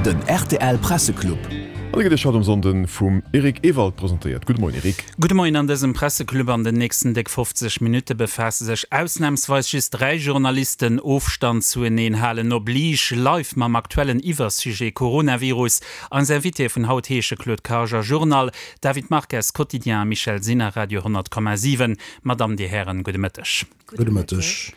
Den rtl Presseclub. An e gëtt Iech haut um Sonnden vum Eric Ewald presentéiert. Gudde Moien Eric. Gudde Moien. An dësem Presseclub an den nächsten déck 50 Minutte befaasse sech ausnamsweis just 3 Journalisten, Ofstand zueneen halen oblige, live mam aktuellen Iwwersujet Coronavirus. Eis Invitéë vun haut heesche Claude Karger, Journal, David Marques, Quotidien, a Michèle Sinner, Radio 100,7. Madame, Dir Hären, gudde Mëtteg. Gudde Mëtteg.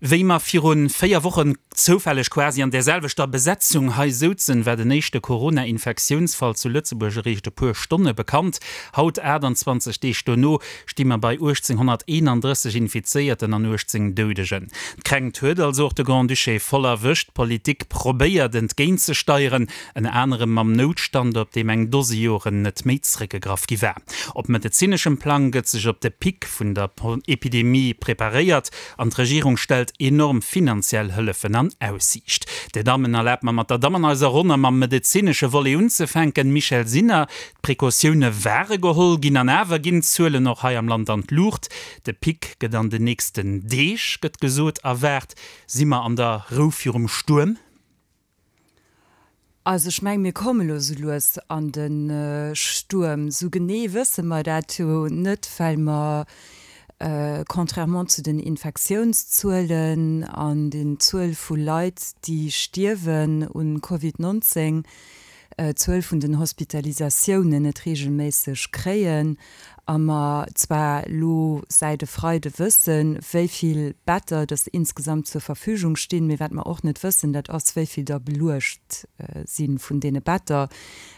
Wéi mer viru 4 Wochen zoufälleg quasi an där selwechter Besetzung hei souzen, war den éischte Corona-Infektiounsfall zu Lëtzebuerg eréischt e puer Stonne bekannt. Haut, 28 Deeg dono, sti mer bei 1.831 Infizéierten an 18 Doudegen. D'Kränkt huet also och de Grand-Duché voll erwëscht. D'Politik probéiert entgéintzesteieren, ënner anerem mam Noutstand, op deem eng Dose Joren net méi zréckgegraff gi war. Op medezineschem Plang gëtt sech op de Pic vun der Epidemie preparéiert. An d'Regierung stellt enorm finanziell Hëllefen an Aussiicht. Dir Dammen, erlaabt mer mat der Damm an eiser Ronn a mam medezinesche Volet unzefänken. Michèle Sinner, d'Precautioune ware geholl ginn an awer ginn d'Zuelen och hei am Land an d'Luucht. De Pic gëtt an den nächsten Deeg, gëtt gesot, erwaart. Si mer an der Rou virum Stuerm? Also ech mengen, mir komme lo sou lues an de Stuerm. Sou genee wësse mer dat jo net, well mer contrairement zu den Infektiounszuelen an den Zuel vu Leit, déi stierwen un Covid 19, d'Zuel vun den Hospitalisatiounen net reegelméisseg kréien a mer zwar elo säit e Freide wëssen, wéi vill Better dass insgesamt zur Verfügung stinn, mee wat mer och net wëssen, dat ass, wéi vill der beluecht si vun deene Better.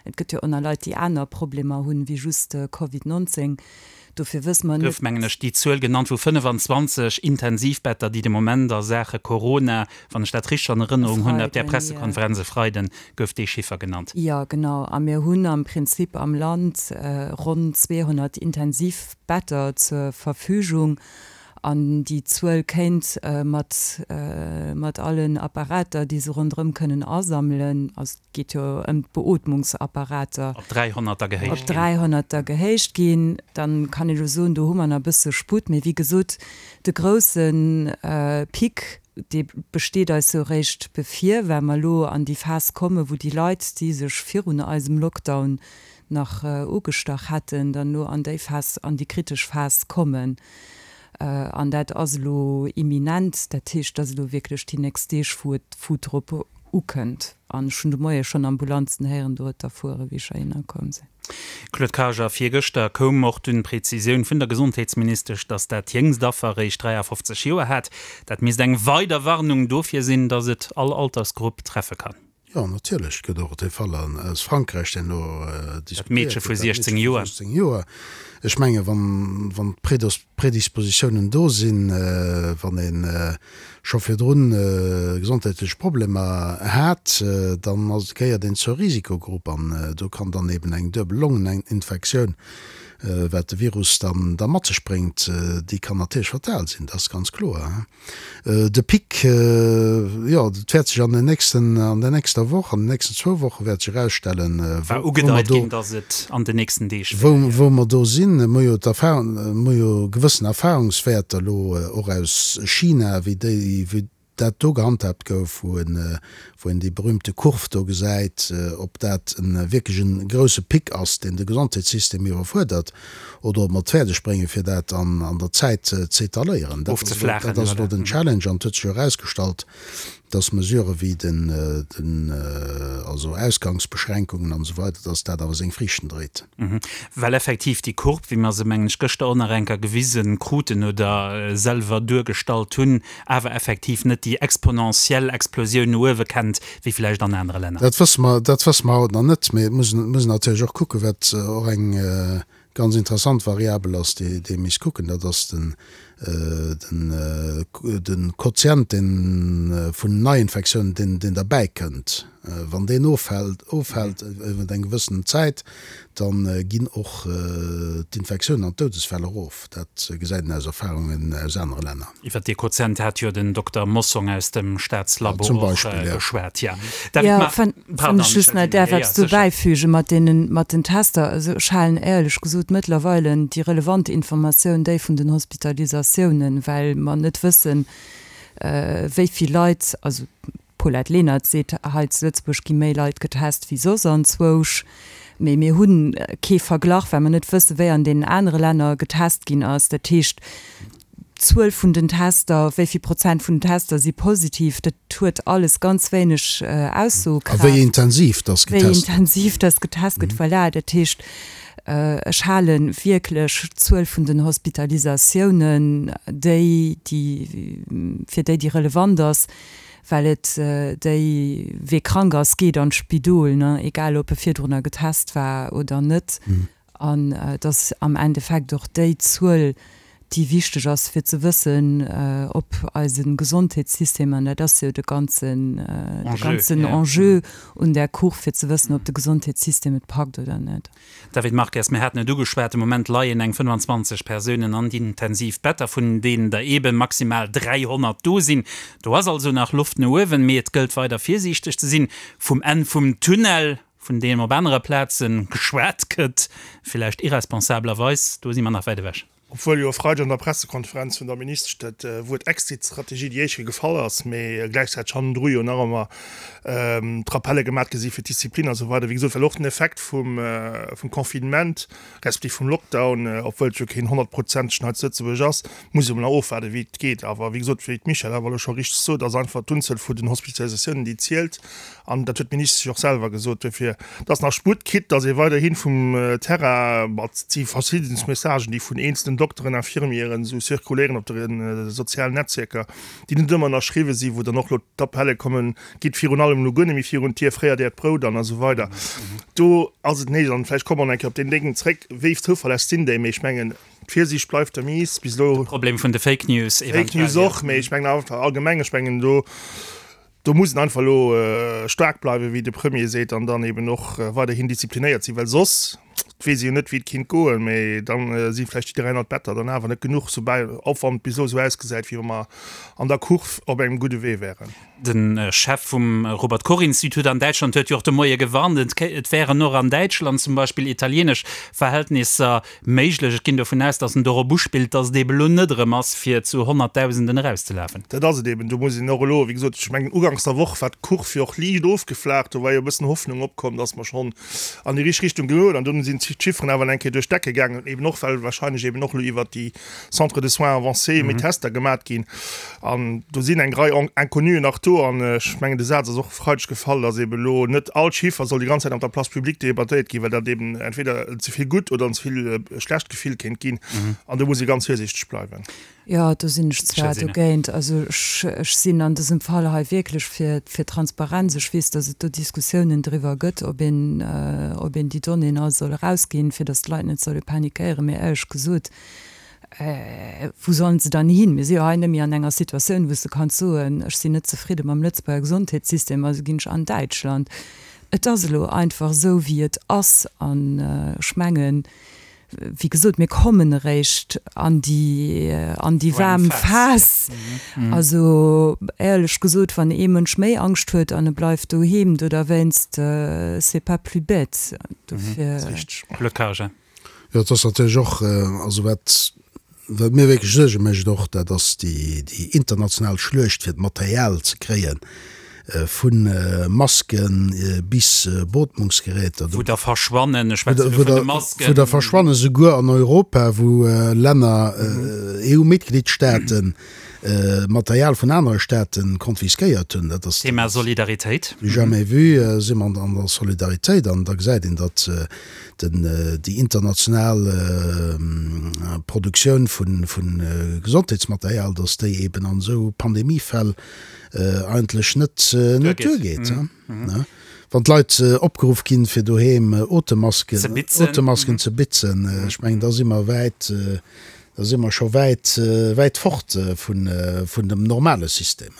Et gëtt jo och nach Leit, déi aner Problemer hunn, wéi just Covid 19. Dofir wësse mer net. Gouf, mengen ech, déi Zuel genannt vu 25 Intensivbetter, déi de Moment a Saache Corona, wann ech dat richteg an Erënnerung hunn, op där Pressekonferenz e Freiden gouf dee Chiffer genannt. Jo, genau. A mir hunn am Prinzip am Land ronn 200 Intensivbetter zur Verfügung. An déi Zuel kéint mat, mat allen Apparater, déi se ronderëm kënnen asammelen, also et geet jo ëm d'Beootmungsapparater, Op 300 da gehéicht ginn. Op 300 da gehéicht ginn. Dann kann ee jo soen, do hu mer nach e bësse Sputt. Mee wéi gesot, de grousse Pic, dee besteet eis jo eréischt bevir, well mer elo an déi Phas kommen, wou déi Leit, déi sech virun eisem Lockdown nach ugestach hätten, dann elo an déi Phas, an déi kritesch Phas kommen. An dat ass elo imminent. Dat heescht, dat ass elo wierklech déi nächst Deeg, wou et, wou et drop ukënnt. An ech hunn de Moie schonn Ambulanzen héieren dorueter fueren, wéi ech heihinner komm sinn. Claude Karger, Virgëschter koum och dunn d'Prezisioun vun der Gesondheetsministesch, datt dat jéngst Affer eréischt 53 Joer hat. Dat misst eng weider Warnung dofir sinn, datt et all Altersgrupp treffe kann. Jo, natierlech. Et gëtt och dee Fall aus Frankräich, deen elo diskutéiert gëtt, dat Meedche vu 16 Joer. Joer. Ech menge wann d'Predispositiounen do sinn, wann ee scho virdrun gesondheetlech Problemer hat, dann ass, gehéiert een zur Risikogrupp an do kann dann eben eng duebel Longeninfektioun, wat de Virus dann da mat sech bréngt, déi kann natierlech fatal sinn, dat ass ganz kloer. De Pic, jo, dat wäert sech an den nächsten, an der nächster Woch, an den nächsten zwou Woche wäert sech erausstellen, War wou mer ugedeit do, ginn, datt et an den nächsten Deeg wär, wou, wou mer do sinn. Mir hu jo d'Erfahrung, mir hu jo gewëssen Erfahrungswäerter elo och aus China, wéi déi, wéi dat do gehandhaabt gouf, wou en, wou een déi berühmte Kurv do gesäit, ob dat e wierklech e grouse Pic ass, deen de Gesondheetssystem iwwerfuerdert, oder ob mer et fäerdeg bréngen, fir dat an der Zäit z'étaléieren. Dat ass elo, dat ass elo den Challenge an et huet sech jo erausgestallt, dass Mesurë wéi den, den, also Ausgangsbeschränkungen an esou weider, dass dat awer seng Friichten dréit. Well effektiv déi Courbe, wéi mer se, mengen ech, gëschter och nach eng Kéier gewise kruten oder selwer duergestallt hunn, awer effektiv net déi exponentiell Explosioun no uewe kennt, wéi vläicht an anere Länner. Dat wësse mer, dat wësse mer haut nach net. Mee et muss, muss een natierlech och kucken, wat och eng Ganz interessant Variabel ass, déi ee misst kucken, dat ass den de Quotient deen vun Neiinfektiounen, deen deen derbäi kënnt. Wann deen offält, ofhält iwwer eng gewëssen Zäit, da ginn och d'Infektiounen an d'Doudesfäll erof. Dat gesäit een aus Erfahrungen aus anere Länner. Iwwer dee Quotient hat jo den Dokter Mossong aus dem Staatslabo och geschwat. Jo, wann ech just nach däerf eppes do bäifügen, mat deenen, mat den Tester. Also ech halen éierlech gesot mëttlerweile déi relevant Informatioun déi vun den Hospitalisatiounen, well mer net wëssen, wéi vill Leit, also. D'Paulette Lenert seet, hei zu Lëtzebuerg gi méi Leit getest wéi soss anzwousch. Mee mir hu kee Verglach, well mer net wësse wéi an deenen anere Länner getest ginn ass. Dat heescht, d'Zuel vun den Tester, wéi vill Prozent vun den Tester si positiv, dat huet alles ganz wéineg Aussoekraaft. A wéi intensiv dass getest gëtt. Wéi intensiv dass getest gëtt, voilà. Dat heescht, ech hale wierklech d'Zuel vun den Hospitalisatiounen déi, déi, fir déi, déi relevant ass, well et déi, wee krank ass, geet an d'Spidol, ne, egal ob e virdrunner getest war oder net. An et ass am Endeffekt och déi Zuel, déi wichteg ass, fir ze wëssen, ob eise Gesondheetssystem, an dat ass jo de ganzen, de ganzen Enjeu un där Courbe, fir ze wëssen, ob de Gesondheetssystem et packt oder net. David Marques, Mir haten et ugeschwat, de Moment leien eng 25 Persounen an Intensivbetter, vun deenen der eebe maximal 300 do sinn. Do ass also nach Loft no uewen, mee et gëllt weider virsiichteg ze sinn. Vum Enn vum Tunnel, vun deem op anere Plaze geschwat gëtt, villäicht irresponsablerweis, do si mer nach wäit ewech. Obwuel jo e Freideg an der Pressekonferenz vun der Ministesch dat Wuert Exit-Strategie déi éischt Kéier gefall ass, mee gläichzäiteg hannendru jo nach ëmmer d'Rappelle gemat gi si fir d'Disziplin a sou weider. Wéi gesot, well och den Effekt vum Confinement respektiv vum Lockdown, obwuel et jo keen honnertprozentegen hei zu Lëtzebuerg ass, muss ee mol nach ofwaarden, wéi et geet. Awer wéi gesot, wéi d'Michèle awer elo scho richteg sot, ass einfach d'Unzuel vun den Hospitalisatiounen, déi zielt. An dat huet d'Ministesch och selwer gesot. Duerfir, et ass nach Sputt, quitte datt ee weiderhi vum Terrain, ma et si verschidden Messagen, déi vun eenzelen Dokteren, Infirmieren esou zirkuléieren op de sozialen Netzwierker, déi net ëmmer ënnerschriwwe sinn, wou dann och elo d'Appelle kommen, Gitt virun allem elo guer net méi virun d'Dier, fréiert Äert Brout an a sou weider. Do ass et néideg, an vläicht komme mer nach eng Kéier op deen Déngen zréck, wéi zouverlässeg sinn déi? Mee ech mengen, d'Virsiicht bleift der Mise bis elo. De Problem vun de Fake News eventuell. Fake News och, mee ech mengen einfach allgemeng, ech mengen do, Do muss een einfach elo staark bleiwen, wéi de Premier seet, an dann eben och weiderhin disziplinéiert sinn, well soss, et weess ee jo net, wéi et kinnt goen, mä da si vläicht déi 300 Better dann awer net genuch, soubal, och wann et bis elo esou ausgesäit, wéi wa mer an der Kurv op engem gudde Wee wären. De Chef vum Robert Koch Institut an Däitschland huet jo och de Moie gewarnt, et wären och an Däitschland zum Beispill italienesch Verhältnisser Méiglech. Ech ginn dovun aus, datt en dorop uspillt, datt et eeben elo net erëm ass, fir zu Honnertdausenden erauszelafen. Dat ass et eeben. Do muss een och elo, wéi gesot, ech mengen, uganks der Woch war d'Kurv jo och liicht ofgeflaacht. Do war jo e bëssen Hoffnung opkomm, datt mer schonn an déi richteg Richtung goen. An dunn sinn d'Chifferen awer eng Kéier duerch d'Decke gaangen, eeben och well wahrscheinlech eeben och elo iwwert déi Centres de soins avancés méi Tester gemat ginn. An do sinn eng Rei Inconnuen nach do. An ech mengen, de Saz ass och e Freideg gefall, datt eeben elo net all Chiffer soll déi ganz Zäit an der Place publique debattéiert ginn, well dat eeben entweder en ze vill gutt oder en ze vill schlecht Gefill kéint ginn. An do muss ee ganz virsiichteg bleiwen. Jo, do sinn ech zwar dogéint. Also ech sinn an dësem Fall hei wierklech fir fir Transparenz. Ech weess, datt et do Diskussiounen driwwer gëtt, ob een ob een déi Donnéeën all soll erausginn, fir datt d'Leit net solle panikéieren. Mee éierlech gesot, Wou sollen se dann hin? Mir si jo hei net méi an enger Situatioun, wou s de kanns soen, ech sinn net zefridde mam Lëtzebuerger Gesondheetssystem, also ginn ech an Däitschland. Et ass elo einfach esou, wéi et ass. An ech mengen, wéi gesot, mir kommen eréischt an déi, an déi waarm Phas. Also éierlech gesot, wann ee Mënsch méi Angscht huet an e bleift doheem do derwéinst, c'est pas plus bête. Dofir. Blocage. Jo, et ass natierlech och, also wat, wat mir wierklech Suerge mécht och, dat ass déi, déi international Schluecht fir d'Material ze kréien, vu Maske bis Beotmungsgeräter. Wou der verschwannen, ech schwätze elo vun de Masken. Wou der verschwannen, souguer an Europa, wou Länner, EU-Mitgliedstaaten, Material vun anere Staate konfiskéiert hunn. Dat ass. Thema Solidaritéit. Du jamais vu si mer an der Solidaritéit an da gesäit een, datt den, déi international Produktioun vu Gesondheetsmaterial, datt déi eben an esou Pandemiefäll eigentlech net duergeet. Wann d'Leit opgeruff ginn, fir doheem Otemmasken ze bitzen, ech mengen, da si mer wäit, Da si mer scho wäit, wäit fort vun, vun dem normale System.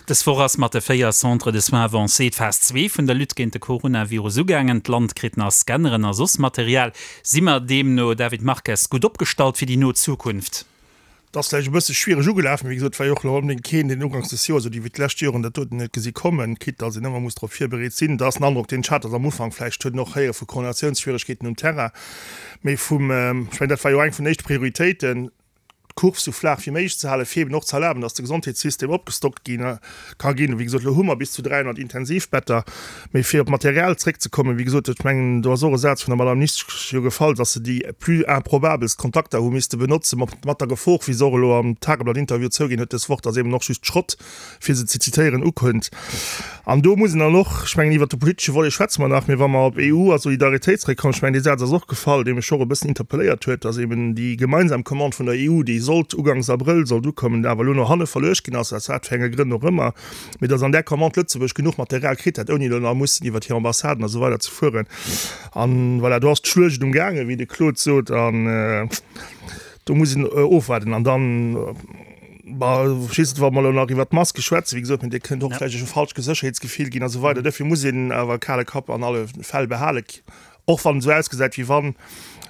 Dës Woch ass mat de 4 Centres de soins avancés d'Phas 2 vun der Lutte géint de Coronavirus ugaangen. D'Land kritt nach Scanneren a soss Material. Si mer deemno, David Marques, gutt opgestallt fir déi no Zukunft? Et ass vläicht e bësse schwiereg ugelaf, mee wéi gesot, et war jo och elo onbedéngt keen, deen uganks des Joers oder iwwert d'lescht Joren dat doten huet gesi kommen, quitte datt een ëmmer muss drop virbereet sinn. Dat ass den Androck, deen ech hat, datt am Ufank vläicht huet een och héiere vu Koordinatiounsschwieregkeeten um Terrain, Mee vum, ech mengen, dat war jo eng vun den éischte Prioritéiten. d'Kurv sou flaach wéi méiglech ze halen, fir eben och ze erlaben, dass de Gesondheetssystem opgestockt gi ka ginn. Wéi gesot, elo hu mer bis zu 300 Intensivbetter. Mee fir op d'Material zréckzekommen, wéi gesot, ech mengen, do ass och e Saz vun der Madame Ministesch jo gefall, dass se déi plus improbabelst Kontakter hu misste benotzen, mat der Gefor, wéi se och elo am Tageblatt-Interview zouginn huet dës Woch, dass eben och just Schrott, fir se ze zitéieren, ukënnt. An do muss een dann och, ech mengen, iwwert de politesche Volet schwätze mer nach, mee wa mer op EU a Solidaritéit zréckkommen, ech mengen, dee Saz ass och gefall, dee mech och e bëssen interpelléiert huet, dass eben déi gemeinsam Commande vun der EU, déi sollt uganks Abrëll sollt ukommen, awer elo no hanne verluecht ginn ass, aus wat fir enge Grënn och ëmmer, mee dass an där Commande Lëtzebuerg genuch Material kritt hätt, ouni elo nach mussen iwwert hir Ambassaden a sou weider ze fueren. An voilà, do ass d'Schluecht umgaangen, wéi de Claude sot, an do muss een ofwaarden. An dann, Bah, ech weess net, wa mer elo nach iwwert d'Maske schwätzen, wéi gesot, mee Dir kënnt och vläicht e falscht Sécherheetsgefill ginn a sou weider. Duerfir muss een awer e kale Kapp an alle Fäll behalen, och wann et esou ausgesäit, wéi wann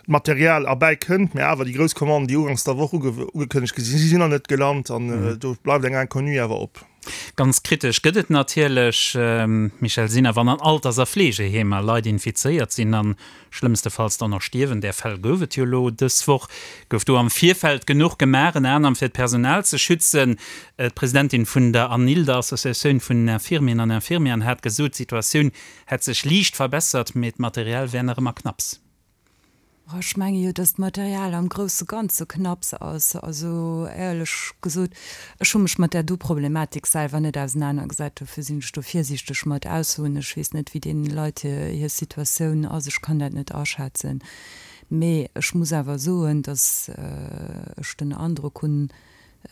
d'Material erbäi kënnt. Mee awer déi grouss Commanden, déi uganks der Woch ugekënnegt gi sinn, si sinn nach net gelant an do bleift eng Inconnue awer op. Ganz kritesch gëtt et natierlech, Michèle Sinner, wann an Alters a Fleegeheemer Leit infizéiert sinn an Schlëmmstefalls dann och stierwen. Där Fäll gouf et jo elo dës Woch. Gouf do am Virfeld genuch gemaach, ënner anerem fir d'Personal ze schützen? D'Presidentin vun der ANIL, der Associatioun vun den Infirmieren an Infirmieren, hat gesot, d'Situatioun hätt sech liicht verbessert, mee d'Material wär nach ëmmer knapps. Ech menge jo, datt d'Material am grousse Ganze knapps ass. Also éierlech gesot, ech hu mech mat där do Problematik selwer net ausenanergesat, dofir sinn ech do virsiichteg mat Aussoen. Ech weess net, wéi deene Leit hir Situatioun ass, ech kann dat net aschätzen. Mee ech muss awer soen, datt ech den Androck hunn,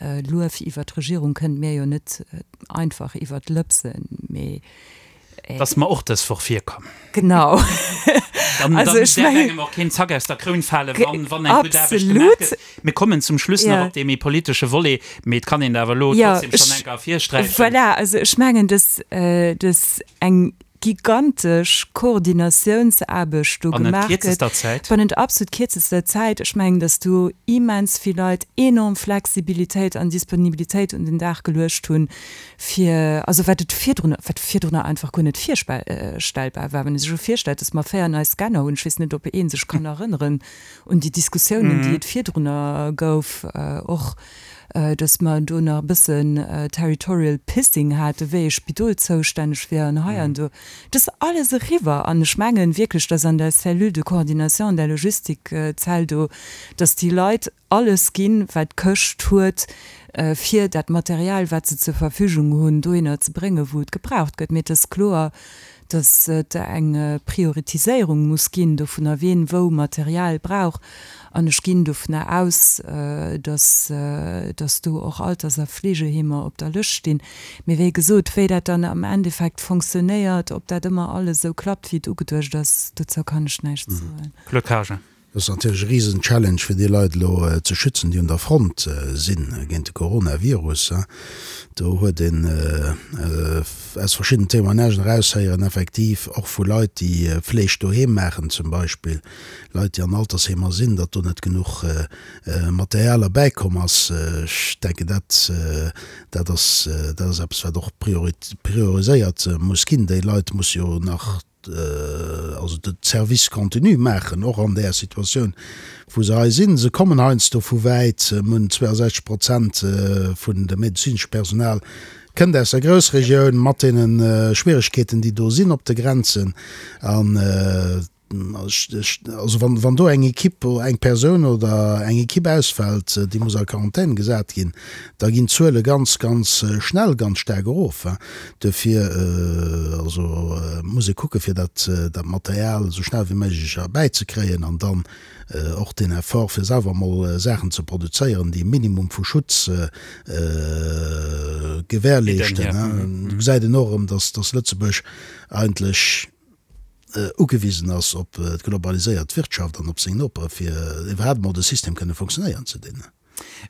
Luef iwwer d'Regierung kënnt mir jo net einfach iwwer d'Lëpsen, mee. Et ass mer och dës Woch virkomm. Genau. Dann also ech däerf engem och keen Zack aus der Kroun falen, wann, wann eng gutt Aarbecht gemaach gëtt. Mir kommen zum Schluss nach op dee méi politesche Volet, mee et kann een awer elo trotzdem schonn eng Kéier ervirsträichen. Voilà, also ech mengen, dass, dass eng gigantesch Koordinatiounsaarbecht do gemaach gëtt, bannent absolut kierzester Zäit. Ech mengen, datt do immens vill Leit enorm Flexibilitéit an Disponibilitéit un den Dag geluecht hunn, fir, also wat et virdrun, wat virdrunner einfach guer net virstellbar war. Wann ee sech elo virstellt, datt mer 4 nei Scanner hunn, ech weess net, ob ee sech kann erënneren un déi Diskussiounen, déi et virdrunner gouf, och dass mer do nach e bëssen territorial pissing haten, wéi ee Spidol zoustänneg wier an hei an do. Dat ass alles eriwwer. An ech mengen wierklech, dass an der Cellule de coordination, an der Logistikzell do, dass déi Leit alles ginn, wat d'Këscht huet, fir dat Material, wat se zur Verfügung hunn, dohinner ze bréngen, wou et gebraucht gëtt. Mee et ass kloer, dass et eng Prioritiséierung muss ginn dovunner, wien wou Material brauch. An ech ginn dovunner aus, dass, dass do och Alters a Fleegeheemer op der Lëscht stinn. Mee wéi gesot, wéi dat dann am Endeffekt fonctionnéiert, ob dat ëmmer alles esou klappt, wéi et ugeduecht ass, dozou kann ech näischt soen. Claude Haagen. Dat ass natierlech e risen Challenge fir déi Leit elo ze schützen, déi un der Front si géint de Coronavirus. Do huet een aus verschiddenen Témoignagen eraushéieren, effektiv och vu Leit, déi Fleeg doheem maachen zum Beispill, Leit, déi an Altersheemer sinn, datt do net genuch Material erbäikomm ass. Ech denken, dat dat ass dat ass eppes, wat och prioriséiert muss ginn. Déi Leit musse jo nach also de Service continu maachen, och an där Situatioun, wou se hei sinn. Se kommen heiansdo vu wäit, mir hunn 62 Prozent vun dem medezinesche Personal kënnt aus der Groussregioun, mat deene Schwieregkeeten, déi do sinn op de Grenzen. An also wann, wann do eng Equipe, eng Persoun oder eng Equipe ausfält, déi muss a Quarantän gesat ginn, da ginn d'Zuele ganz, ganz schnell ganz staark erof. Duerfir also muss ee kucke fir dat dat Material esou schnell wéi méiglech erbäizekréien an dann och deen Effort fir selwer emol Saachen ze produzéieren, déi e Minimum vu Schutz gewährleeschten. Do gesäit een och erëm, dass dass Lëtzebuerg eigentlech ugewisen ass op d'globaliséiert Wirtschaft an op seng Nopere fir iwwerhaapt emol de System kënne funktionéieren ze dinn.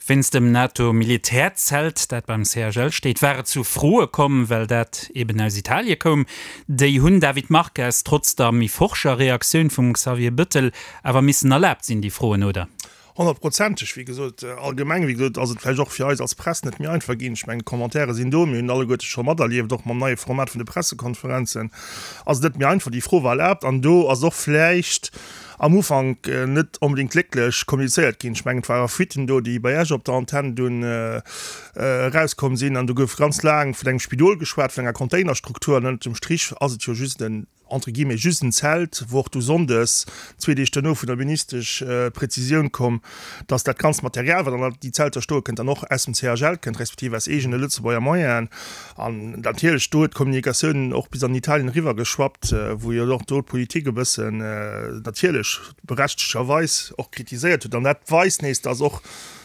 Wéinst dem NATO-Militärzelt, dat beim CHL steet, war et zu Froe komm, well dat eben aus Italie koum. Déi hunn, David Marques, trotz der méi forscher Reaktioun vum Xavier Bëttel, awer missen erlaabt sinn, déi Froen, oder? Honnertprozenteg. Wéi gesot, allgemeng, wéi gesot, ass et vläicht och fir eis als Press net méi einfach ginn. Ech mengen, d'Commentairen sinn do, mir hunn alleguerte scho materlieft, och mam neie Format vun de Pressekonferenzen ass et net méi einfach. Déi Fro war erlaabt an do ass och vläicht. Am Ufank net onbedéngt glécklech kommunizéiert ginn. Ech mengen, et ware Fuiten do, déi bei Iech op der Antenn dunn erauskomm sinn. An do gouf ganz laang vun engem Spidol geschwat, vun enger Containerstruktur. An ënnert dem Strich ass et jo just en, entre guillemets, just en Zelt, wou och du sonndes, zwee Deeg duerno, vun der Ministesch d'Prezisioun komm, dass dat ganzt Material, wat an déi Zelter stoe kënnt, dann och aus dem CHL kënnt, respektiv aus eegene Lëtzebuerger Moyenen. An natierlech do huet d'Kommunikatioun och bis an Italien eriwwer geschwappt, wou jo och do d'Politik e bëssen natierlech berechtegterweis och kritiséiert huet. An dat weist nees, dass och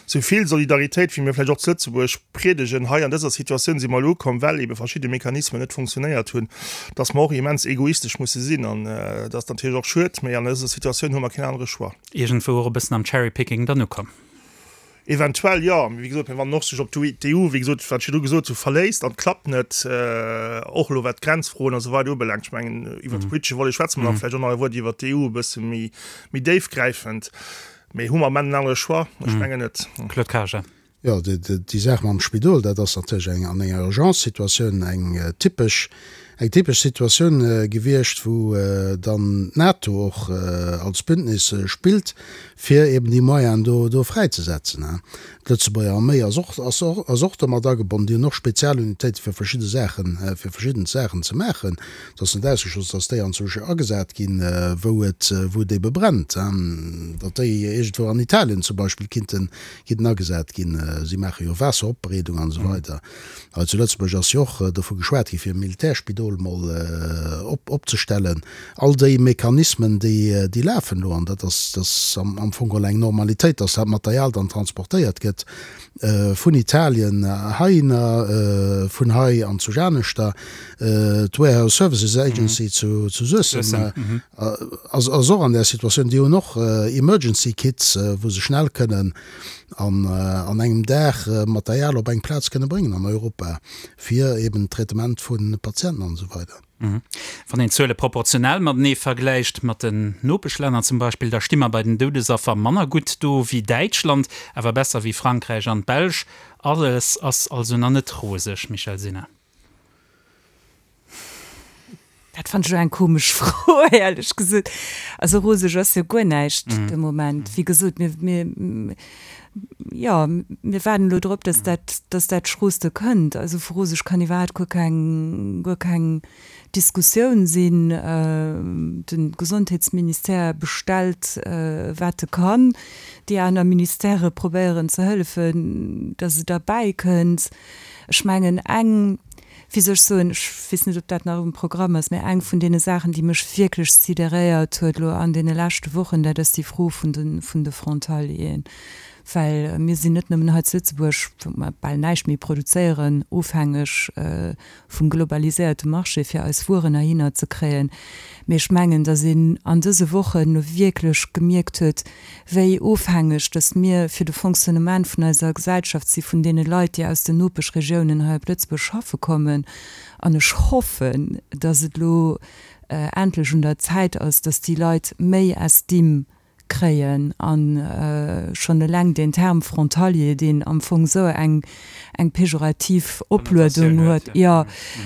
sou vill Solidaritéit, wéi mir vläicht och zu Lëtzebuerg priedegen, hei an dëser Situatioun si mer elo ukomm, well ebe verschidde Mechanismen net funktionéiert hunn, dass mer och immens egoistesch musse sinn. An dat ass natierlech och schued, mä an dëser Situatioun hu mer keen anere Choix. Iergendwou och e bëssen am Cherry-picking dann ukomm. Eventuell jo, mee wéi gesot, wann en och sech op d'EU, wéi gesot, wat ech virdru gesot hu, verléisst an et klappt net, och elo wat d'Grenzfroen a sou weider ubelaangt, ech mengen, iwwert de politesche Volet schwätze mer nach, vläicht och nach e Wuert iwwert d'EU e bësse méi, méi déifgräifend, mee hu mer am Enn en anere Choix? Ech mengen net. Claude Karger. Jo, déi Saach mam Spidol, dat ass natierlech eng an enger Urgence-Situatioun eng typesch, eng typesch Situatioun gewiescht, wou dann d'NATO och als Bündnis spillt, fir eben déi Moyenen do, do fräizesetzen. D'Lëtzebuerger Arméi ass och, ass och, ass och domat agebonnen. Déi hunn och Spezialunitéite fir verschidde Saachen, fir verschidden Saachen ze maachen. Et ass net ausgeschloss, datt déi anzwousch agesat ginn, wou et, wou et ebe brennt, datt déi iergendwou an Italien zum Beispill kinnten, kinnten agesat ginn. Si maache jo Waasseropbereedung an esou weider. Hei zu Lëtzebuerg ass jo och dovu geschwat gi fir e Militärspidol mol op opzestellen. All déi Mechanismen, déi déi lafen elo an dat ass dat ass am am Fong geholl eng Normalitéit, dass dat Material dann transportéiert gëtt vun Italien heihinner, vun hei an zu Janeschter. D'Warehouse Services Agency zu zu Suessem ass ass och an där Situatioun. Déi hunn och Emergency Kits, wou se schnell kënnen an an engem Dag Material op eng Plaz kënne bréngen an Europa, fir eben d'Traitement vu Patienten an esou weider. Wann een d'Zuele proportionell matenee vergläicht, mat den Nopeschlänner zum Beispill, da sti mer bei den Doudesaffer manner gutt do wéi Däitschland, awer besser wéi Frankräich an d'Belsch. Alles ass also nach net roseg, Michèle Sinner. Dat fand ech elo eng komesch Fro, éierlech gesot. Also roseg ass jo guer näischt de Moment. Wéi gesot, mir, mir, jo, mir waarden elo drop, dass dat, dass dat Schrooste kënnt. Also vu roseg kann iwwerhaapt guer keng, guer keng Diskussioun sinn. De Gesondheetsministère bestellt, wat e kann. Déi aner Ministèrë probéieren ze hëllefen, dass et erbäikënnt. Ech mengen, eng, wéi soll ech soen, ech weess net, ob dat nach um Programm ass, mä eng vun deene Saachen, déi mech wierklech sidéréiert huet elo an deene leschte Wochen, dat ass déi Fro vun de, vun de Frontalieren. Well mir sinn net nëmmen hei zu Lëtzebuerg, wou mer bal näischt méi produzéieren, ofhängeg vum globaliséierte Marché, fir eis Wueren heihinner ze kréien, mee ech mengen, datt een an dëse Wochen elo wierklech gemierkt huet, wéi ofhängeg dass mir fir de Fonctionnement vun eiser Gesellschaft si vun deene Leit, déi aus den Nopeschregiounen hei op Lëtzebuerg schaffe kommen. An ech hoffen, dass et elo endlech un der Zäit ass, dass déi Leit méi Estime kréien a schonn eleng deen Term frontalier, deen am Fong esou eng eng pejorativ Opluedung huet, jo,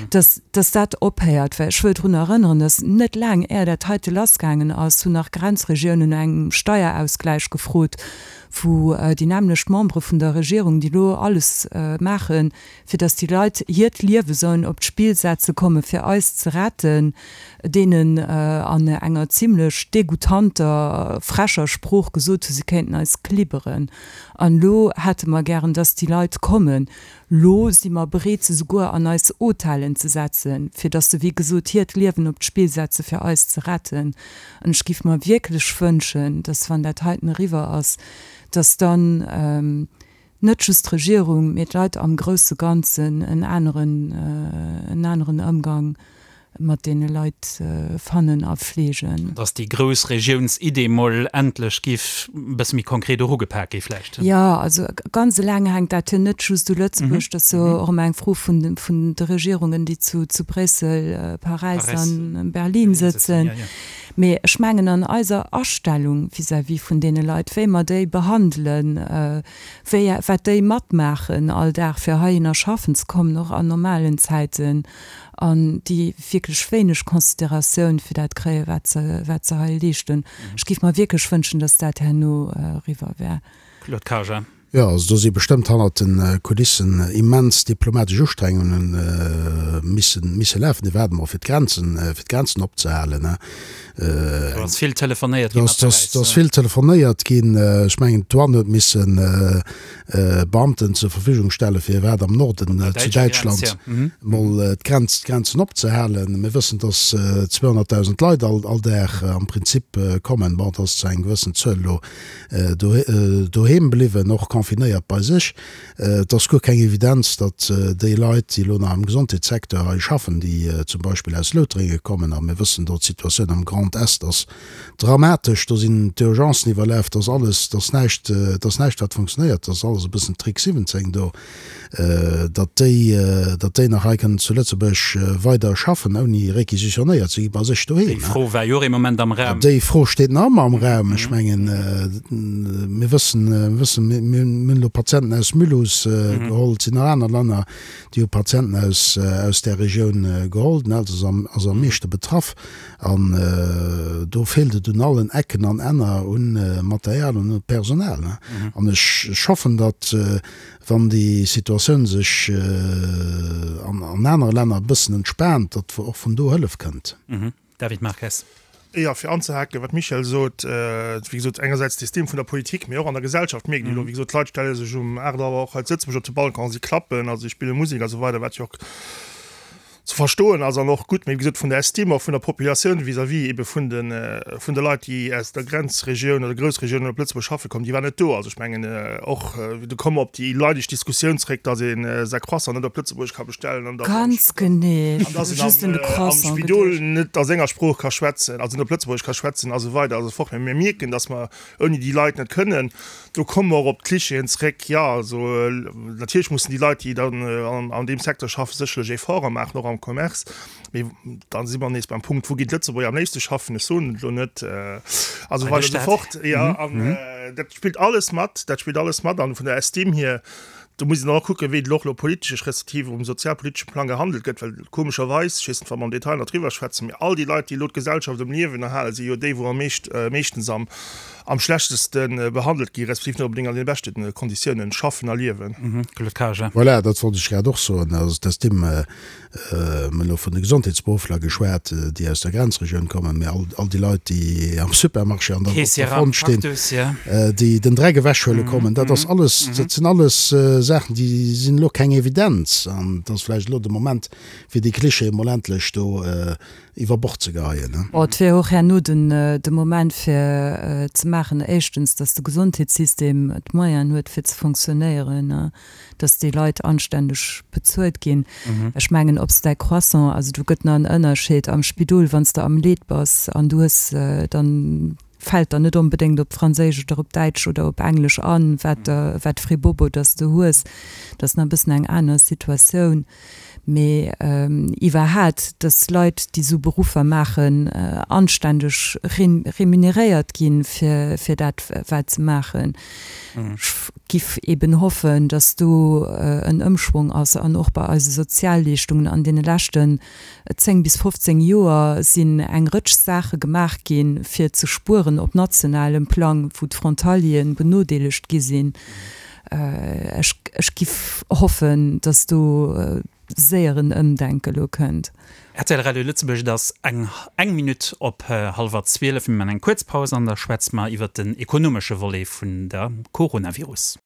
dass, dass dat ophéiert. Well ech wëll drun erënneren, dass net laang är dat heite lassgaangen ass, hunn nach Grenzregiounen no engem Steierausgläich gefrot, wou déi nämmlecht Membere vun der Regierung, déi elo alles maachen, fir dass déi Leit hiert Liewe sollen op d'Spill setze komme fir eis ze retten, deenen an enger zimlech degoutanter, frecher Sprooch gesot hu si kéinten eis klibberen. An elo hätte mer gären, dass déi Leit kommen. Lo si mer bereet, se souguer an eis Hotellen ze setzen, fir dass se, wéi gesot, hiert Liewen op d'Spill setze fir eis ze retten. An ech géif mer wierklech wënschen, dass, wann dat heiten eriwwer ass, dass dann net just d'Regierung, mee d'Leit am grousse Ganzen en aneren, en aneren Ëmgang mat deene Leit fannen a fleegen. Dass déi grouss Regiounsidee mol endlech giff e bësse méi konkret erugepak gi vläicht. Jo, also ganz eleng hänkt dat jo net just u Lëtzebuerg. Dat ass jo och ëmmer eng Fro vun de Regierungen, déi zu Bréissel, Paräis an Berlin sëtzen. Mee ech mengen an eiser Astellung vis-à-vis vun deene Leit, wéi mer déi behandelen, wéi, wat déi matmaachen all Dag fir heihinner schaffen ze kommen, och an normalen Zäiten, an déi wierklech wéineg Consideratioun fir dat kréien, wat se, wat se hei leeschten. Ech géif mer wierklech wënschen, dass dat herno eriwwer wär. Claude Karger. Jo, also do si bestëmmt hannert de Kulissen immens diplomatesch Ustrengungen misse misse lafen, iwwerhaapt emol fir d'Grenzen, fir d'Grenzen opzehalen. Do ass vill telefonéiert ginn mat Paräis. Do ass vill telefonéiert ginn. Ech mengen, d'Douane huet misse Beamten zur Verfügung stellen, fir iwwerhaapt am Norden zu Däitschland emol d'Grenz, d'Grenzen opzehalen. Mir wëssen, datt 200.000 Leit all all Dag am Prinzip kommen. Bon, dat ass zu engem gewëssen Zuel elo doheem bliwwen, och confinéiert bei sech. Et ass guer keng Evidenz, datt déi Leit, déi elo nach am Gesondheetssecteur hei schaffen, déi zum Beispill aus Loutrengen kommen, a mir wëssen do, d'Situatioun am Grand Est ass dramatesch, do sinn d'Urgencen iwwerlaf, do ass alles, do ass näischt, do ass näischt wat funktionéiert, do ass alles e bëssen Trick 17 do. datt déi, datt déi nach hei kënnen zu Lëtzebuerg weider schaffen, ouni réquisitionnéiert ze gi bei sech doheem. Déi Fro war jo och ee Moment am Raum. Déi Fro steet nach ëmmer am Raum. Ech mengen, mir wëssen, mir wëssen, mir hunn elo Patienten aus Mulhouse geholl, et sinn nach aner Länner, déi hu Patienten aus, aus där Regioun geholl. Den Elsass ass am meeschte betraff an do feelt et un allen Ecken an Enner un Material an un Personal. An ech hoffen, datt Wann déi Situatioun sech an anere Länner e bëssen entspaant, datt och vun do Hëllef kënnt. David Marques. Jo, fir anzehaken, wat d'Michèle sot, wéi gesot, engersäits d'Estime vun der Politik, mee och an der Gesellschaft mierkt een elo, wéi gesot, d'Leit stelle sech um 8 Auer och hei zu Lëtzebuerg op de Balcon, si klappen, also si spille Musek a sou weider, wat jo och ze verstoen ass an och gutt, mee wéi gesot vun der Estime och vun der Populatioun vis-à-vis ebe vun de vun de Leit, déi aus der Grenzregioun oder Groussregioun op Lëtzebuerg schaffe kommen, déi war net do. Also ech mengen och, do komme mer op déi leidesch Diskussioun zréck, datt ee säi Croissant net op Lëtzebuergesch ka bestellen an datt Ganz genee, an datt een am am Spidol net a senger Sprooch ka schwätzen, also net op Lëtzebuergesch ka schwätzen a sou weider a sou fort. Mee mir mierken, datt mer ouni déi Leit net kënnen. Do komme mer och op d'Klichéen zréck. Jo, also natierlech mussen déi Leit, déi dann an deem Secteur schaffen, sécherlech Efforte maachen, och am Commerce. Mee da si mer nees beim Punkt, Wou ginn d'Lëtzebuerger am léifste schaffen? Ech soen et elo net. A sou weider a sou fort. Jo, an dat spillt alles mat. Dat spillt alles mat. An vun der Estime hier, do muss een dann och kucken, wéi et elo och elo politesch respektiv um sozialpolitesche Plang gehandelt gëtt. Well komescherweis, ech weess net, wa mer am Detail nach driwwer schwätzen, mee all déi Leit, déi elo d'Gesellschaft um Liewen erhalen, si jo déi, wou am meescht, meeschtens am am schlechteste behandelt gi respektiv net onbedéngt an deene beschte Konditiounen schaffen a liewen. Claude Karger. Voilà, dat wollt ech grad och soen. Also d'Estime, mir hunn elo vun de Gesondheetsberuffler geschwat, déi aus der Grenzregioun kommen, mä all, all déi Leit, déi am Supermarché an der, op der Front stinn, déi den Dreck ewechhuele kommen, dat ass alles, dat sinn alles Saachen, déi sinn elo keng Evidenz. An et ass vläicht elo de Moment, fir déi Klischeeë mol endlech do iwwer Bord ze geheien. Bon, et wier och herno den de Moment fir ze maachen, éischtens, datt de Gesondheetssystem d'Moyenen huet fir ze fonctionnéieren, datt déi Leit anständeg bezuelt ginn. Ech mengen, ob s däi Croissant, also do gëtt nach en Ënnerscheed am Spidol, wann s de am Leed bass an du hues dann, fält der net onbedéngt op Franséisch oder op Däitsch oder op Englesch an, wat der, wat fir ee Bobo dass de hues. Dat ass nach e bëssen eng aner Situatioun. Mee iwwerhaat, dass Leit, déi esou Beruffer maachen, anständeg remuneréiert ginn, fir, fir dat, wat se maachen. Ech giff eben hoffen, dass do en Ëmschwong ass an och bei eise Sozialleeschtungen an deene leschten 10 bis 15 Joer sinn eng Rëtsch Saache gemaach ginn, fir ze spueren op nationalem Plang, wou d'Frontalieren benodeelegt gi sinn. Ech, ech giff hoffen, datt do séier en Ëmdenke lo kënnt. Rtl Radio Lëtzebuerg, Et ass eng eng Minutt op hallwer 12. Mir man eng kuerz Paus an da schwätze mer iwwert den ekonomesche Volet vun der Coronavirus.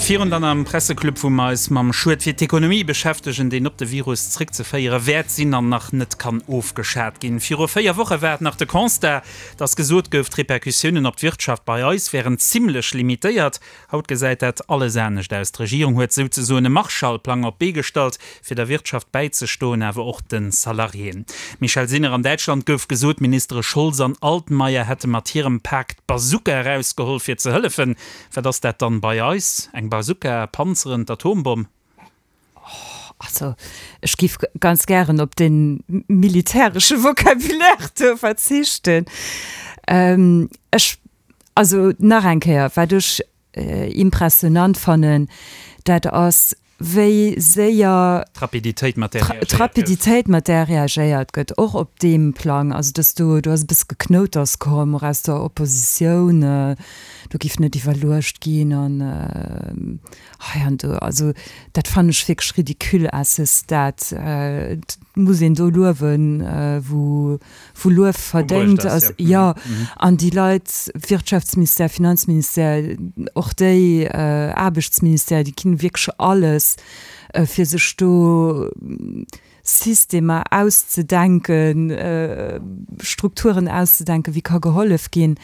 Virun dann am Presseclub, wou mer eis mam Schued fir d'Ekonomie beschäftegen, deen op de Virus zréckzeféiere wäert sinn an nach net kann ofgeschat ginn. Viru 4 Woche war et nach de Constat, dass gesot gouf, d'Repercussiounen op d'Wirtschaft bei eis wären zimmlech limitéiert. Haut gesäit dat alles anescht aus. D'Regierung huet souzesoen e Marshallplang op d'Bee gestallt, fir der Wirtschaft bäizestoen, awer och de Salariéen. Michèle Sinner, An Däitschland gouf gesot, d'Ministere Scholz an Altmaier hätte mat hirem Pak d'Bazooka erausgeholl, fir ze hëllefen. Wat ass dat dann bei eis? Eng Bazooka, Panzeren, d'Atombomm? Also, ech géif ganz gären op dee militäresche Vocabulaire do verzichten. Ech, also nach eng Kéier, wat ech impressionant fannen, dat ass, wéi séier D'Rapiditéit, mat där reagéiert gëtt. D'Rapiditéit, mat där reagéiert gëtt, och op deem Plang. Also, dass do, do ass e bësse Geknouters komm, och aus der Oppositioun, do géif net iwwerluecht ginn an hei an do. Also, dat fannen ech wierklech ridicule à ce stade. Et muss een do luewen, wou wou Luef verdéngt ass. Jo, an déi Leit, Wirtschaftsministère, Finanzministère, och déi, Aarbechtsministère, déi ginn wierklech alles, fir sech do Systemer auszedenken, Strukturen auszedenken, wéi ka gehollef ginn.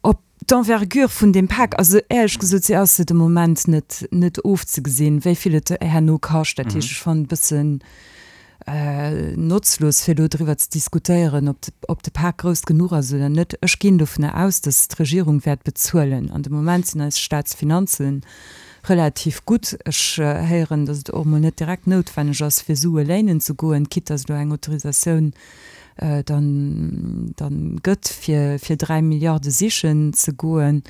Op d'Envergure vun deem Pak, also éierlech gesot, si ass se de Moment net, net ofzegesinn, wéi vill et herno kascht. Dat heescht, ech fannen et e bëssen notzlos, fir elo driwwer ze diskutéieren, ob de, ob de Pak grouss genuch ass oder net. Ech ginn dovunner aus, datt d'Regierung wäert bezuelen. An de Moment sinn eis Staatsfinanze relativ gutt. Ech héieren, datt et och emol net direkt noutwenneg ass, fir Sue léinen ze goen, quitte datt elo eng Autorisatioun dann dann gëtt, fir fir 3 Milliarde sichen ze goen.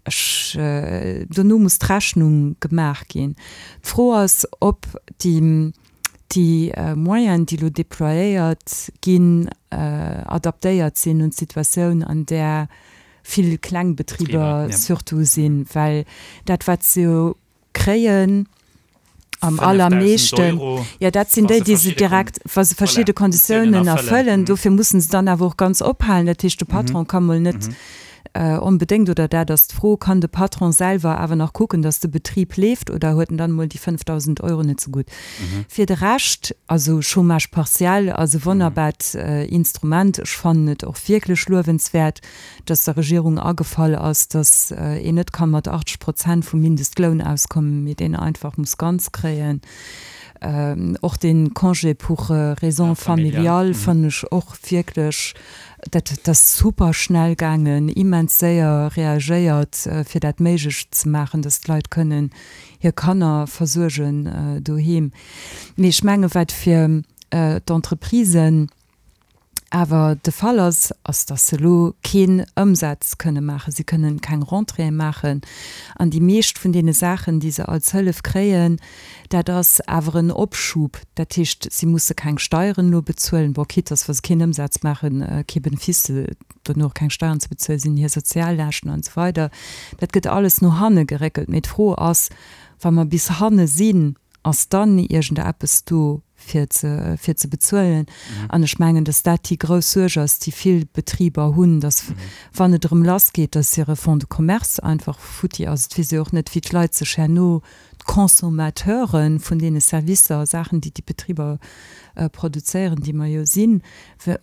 Ech, dono muss d'Rechnung gemaach ginn. D'Fro ass, ob déi déi Moyenen, déi elo déployéiert ginn, adaptéiert sinn un d'Situatioun, an där vill kleng Betriber surtout sinn, well dat wat se jo kréien am allermeeschten, jo dat sinn déi, déi se direkt, wa se verschidde Konditiounen erfëllen, dofir mussen se dann awer och ganz ophalen. Dat heescht, de Patron ka mol net onbedéngt, oder dat ass d'Fro, kann de Patron selwer awer nach kucken, datt de Betrib leeft, oder huet en dann emol déi 5.000 Euro net zegutt? Fir de Rescht, also Chômage partiel ass e wonnerbart Instrument, ech fannen et och wierklech luewenswäert, dass der Regierung agefall ass, dass een net ka mat 80 Prozent vum Mindestloun auskommen, mee deen einfach muss ganz kréien. Och dee Congé pour raisons familiales fannen ech och wierklech, dat ass super schnell gaangen, immens séier reagéiert, fir dat méiglech ze maachen, dass d'Leit kënnen hir Kanner versuergen doheem. Mee ech menge wat fir d'Entreprisen, awer de Fall ass, ass dass se elo keen Ëmsaz kënne maachen, si kënnen keng Rentréeë maachen an déi meescht vun deene Saachen, déi se als Hëllef kréien, dat ass awer en Opschub. Dat heescht, si musse keng Steieren elo bezuelen, bon, quitte dass wa se keen Ëmsaz maachen, kee Benefice, dono och keng Steieren ze bezuelen sinn, hir Soziallaaschten an esou weider, dat gëtt alles no hanne geréckelt. Mee d'Fro ass, wa mer bis hanne sinn, ass dann iergendeppes do, fir ze, fir ze bezuelen. An ech mengen, dass dat déi grouss Suerg ass, déi vill Betriber hunn, dass, wann et erëm lassgeet, dass hire Fonds de commerce einfach futti ass. Et weess ee och net, wéi d'Leit sech herno, d'Consommateure vun deene Servicer a Saachen, déi déi Betriber produzéieren, déi mer jo sinn,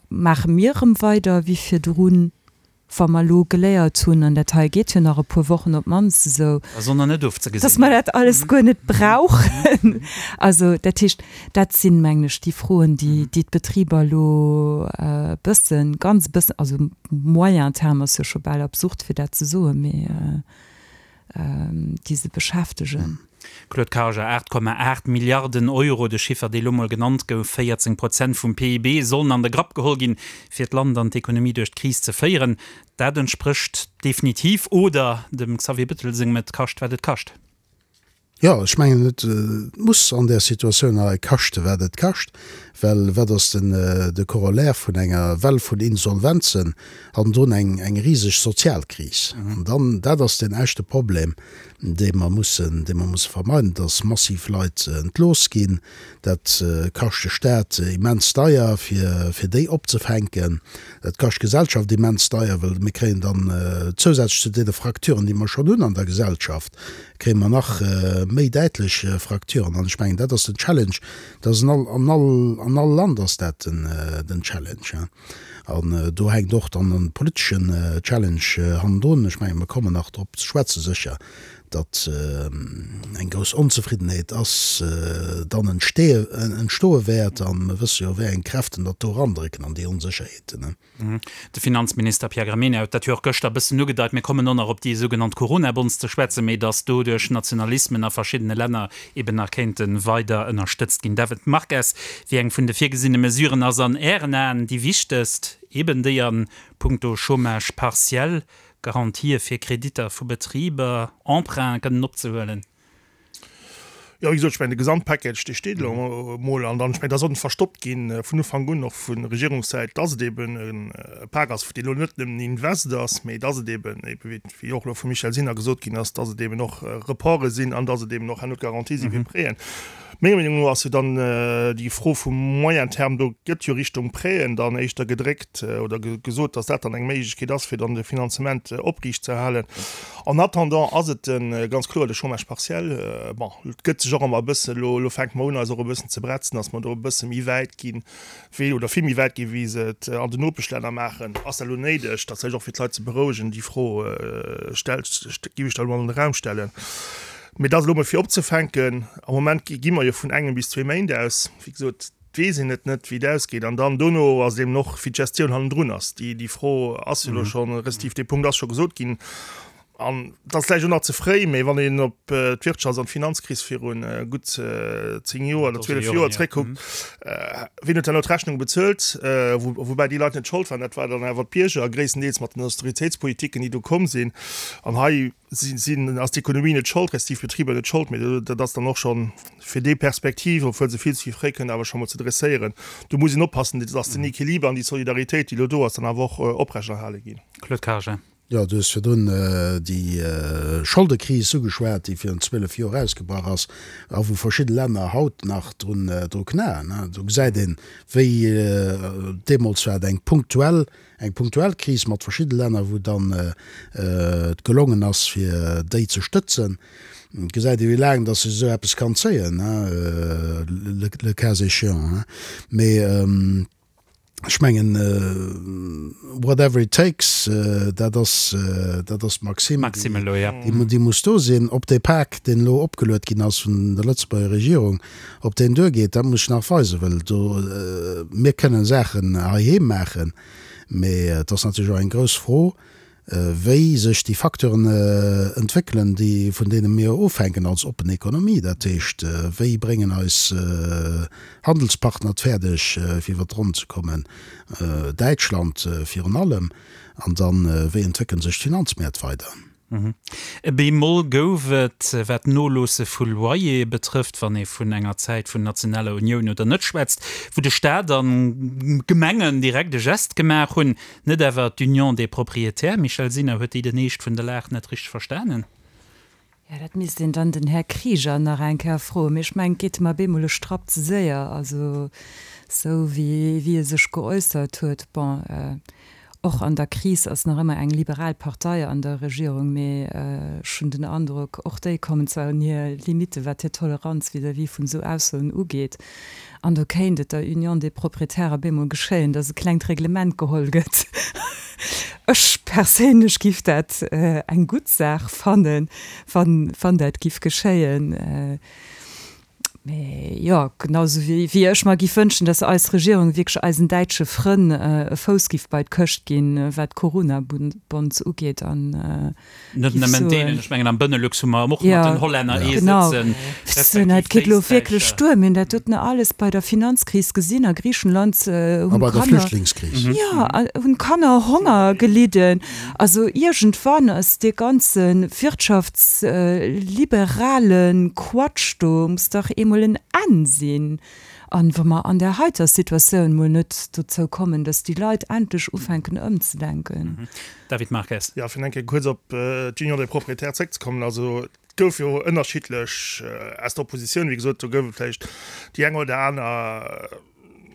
maache mir erëm weider wéi virdrun? Wa mer elo geléiert hunn, an dat hei geet jo nach e puer Wochen op d'mannst esou, dass mer dat alles guer net brauchen. Also dat heescht, dat sinn, mengen ech, déi Froen, déi d'Betriber elo e bëssen, ganz e bëssen, also moyen terme ass jo scho bal absurd, fir dat ze soen, mee déi se beschäftegen. Claude Karger, 8,8 Milliarden Euro, de Chiffer, dee lo mol genannt gouf, 14 Prozent vum PIB sollen an de Grapp geholl ginn, fir d'Land an d'Ekonomie duerch d'Kris ze féieren. Dat entsprécht definitiv, oder dem Xavier Bettel sengem et kascht wat et kascht. Jo, ech mengen, et muss an där Situatioun hei kaschte wat et kascht, well wat ass den de Corollaire vun enger Well vun Insolvenzen? Hannendrun eng eng riseg Sozialkris. An dann, dat ass den echte Problem, dee mer mussen, dee mer musse vermeiden, dass massiv Leit entlooss ginn. Dat kascht de Staat immens deier, fir fir déi opzefänken. Dat kascht d'Gesellschaft immens deier, well mir kréien dann zousätzlech zu deene Fracturen, déi mer schonn hunn an der Gesellschaft, kréie mer nach méi däitlech Fracturen. An ech mengen, dat ass den Challenge, dat ass an all, an all, an all Land ass dat den, den Challenge. An do hänkt och dann e politeschen Challenge hannendrun. Ech mengen, mer kommen nach drop ze schwätzen, sécher. Datt eng grouss Onzefriddenheet ass dann entstoe wäert. A mir wësse jo, wéi eng Kräften datt do erandrécken an déi Onsécherheeten. De Finanzminister Pierre Gramegna huet dat jo och gëschter e bëssen ugedeit. Mir kommen och nach op déi sougenannt Corona-Bonds ze schwätzen, mee datt doduerch Nationalismen a verschiddene Länner eben nach kéinte weider ënnerstëtzt ginn. David Marques, wéi eng vun de virgesinne Mesuren ass an Ären Aen déi wichtegst, eben déi a puncto Chômage partiel? Garantië fir Kreditter vu Betriber, Emprunten kënnen opzehuelen? Jo, wéi gesot, ech mengen, de Gesamtpackage, dee steet elo emol. An dann, ech mengen, et ass och net verstoppt ginn vun Ufank un, och vu Regierungssäit, dass et eben e Pak ass, deen elo net nëmmen Invest ass, mee dass et eben, ebe wéi och elo vum Michel Sinner gesot ginn ass, dass et eben och Reporte sinn an dass et eben och herno d'Garantie si fir Prêten. Menger Meenung no ass jo dann déi Fro vum moyen terme, do gëtt jo Richtung Prêten dann éischter gedréckt oder gesot, dass dat dann eng Méiglechkeet ass, fir dann de Finanzement opriicht ze halen. En attendant ass et ganz kloer de Chômage partiel. Bon, et gëtt sech och ëmmer e bëssen, elo, elo fänke mer un eis och e bëssen ze bretzen, dass mer do e bësse méi wäit ginn, wéi, oder vill méi wäit ginn, wéi se et an den Nopeschlänner maachen. Ass dat elo néideg? Dat vläicht och fir d'Leit ze berouegen, déi Fro stellt, géif ech da elo an den Raum stellen. Mee dat ass elo mol fir opzefänken. Am Moment gi mer jo vun engem bis zwee Méint aus. Wéi gesot, et weess een et net, wéi et ausgeet. An dann dono ass et eben och, wéi d'Gestioun hannendrun ass. Déi Fro ass jo elo schonn, respektiv dee Punkt ass scho gesot ginn. An et ass vläicht och nach ze fréi, mee wann een op d'Wirtschafts an d'Finanzkris viru gutt 10 Joer oder 12 Joer zréckkuckt, wien huet herno d'Rechnung bezuelt? Woubäi déi Leit net Schold waren, dat war dann awer d'Bierger, gréisstendeels mat den Austeritéitspolitiken, déi do komm sinn. An hei sinn, ass d'Ekonomie net Schold, respektiv d'Betriber net Schold, mee dat ass dann och schonn fir déi Perspektiv, obwuel se vill ze fréi kënnt, awer scho mol ze dresséieren. Do muss een oppassen, dass den Equiliber an déi Solidaritéit, déi elo do ass, dann awer och oprechterhale ginn. Claude Karger. Jo, du hues virdrun déi Scholdekris ugeschwat, déi virun 12 Joer ausgebrach ass a wou verschidde Länner haut nach drun dru knaen. Do gesäit een, wéi deemools war et eng punktuell, eng punktuell Kris mat verschidde Länner, wou dann et gelongen ass, fir déi ze stëtzen. Et gesäit ee wéi laang datt sech esou eppes kann zéien, le cas échéant. Mee Ech mengen, whatever it takes, dat ass, dat ass d'Maxime, déi muss do sinn. Ob dee Pak, deen elo opgeluet ginn ass vun der Lëtzebuerger Regierung, ob deen duergeet, dat muss sech nach weisen, well do, mir kënnen Saachen heiheem maachen, mee et ass natierlech och eng grouss Fro, wéi sech déi Facteuren entwéckelen, déi, vun deene mir ofhänken als oppen Ekonomie. Dat heescht, wéi bréngen eis Handelspartner et fäerdeg, fir iwwer d'Ronn ze kommen, Däitschland virun allem, an dann, wéi entwéckele sech d'Finanzmäert weider? E Bémol gouf et, wat d'Noloosse vu Loyere betrëfft, wann ee vun enger Zäit vun nationaler Unioun oder net schwätzt, wou de Staat an d'Gemengen direkt e Gest gemaach hunn. Net awer d'Union des Propriétaires, Michèle Sinner, huet déi den Eescht vun der Lag net richteg verstanen? Jo, dat misst een dann den Här Krieger nach eng Kéier froen. Mee ech mengen, et geet em op eemol e Strapp ze séier, also esou wéi e sech geäussert huet. Bon, och an der Kris ass nach ëmmer eng liberal Partei an der Regierung, mee ech hunn den Androck, och déi kommen zwar un hir Limite wat hir Toleranz vis-à-vis vun esou Aussoen ugeet. An do kéint et der Union des Propriétaires op eemol geschéien, dass e klengt Reglement geholl gëtt. Ech perséinlech giff dat eng gutt Saach fannen, wann dat giff geschéien. Mee jo, genau esou wéi ech mer giff wënschen, dass eis Regierung wierklech eisen däitsche Frënn e Fouss giff bei d'Këscht ginn, wat d'Corona-Bonds ugeet an Net nëmmen deenen, ech mengen am Benelux hu mer och mat den Hollänner ee sëtzen, respektiv Et geet elo wierklech duer. Mir hunn dat doten alles bei der Finanzkris gesinn. A Griichenland hunn A bei der Flüchtlingskris. Jo, hunn d'Kanner Honger gelidden. Also iergendwann ass dee ganze wirtschaftsliberale Quatsch do, muss dach eemol en Enn sinn. An wa mer an där heiter Situatioun mol net dozou kommen, dass déi Leit endlech ufänken ëmzedenken. David Marques. Jo, fir eng Kéier kuerz op d'Union des Propriétaires zréckzekommen, also et gouf jo ënnerschiddlech aus der Oppositioun, wéi gesot, do gouf et vläicht déi eng oder aner.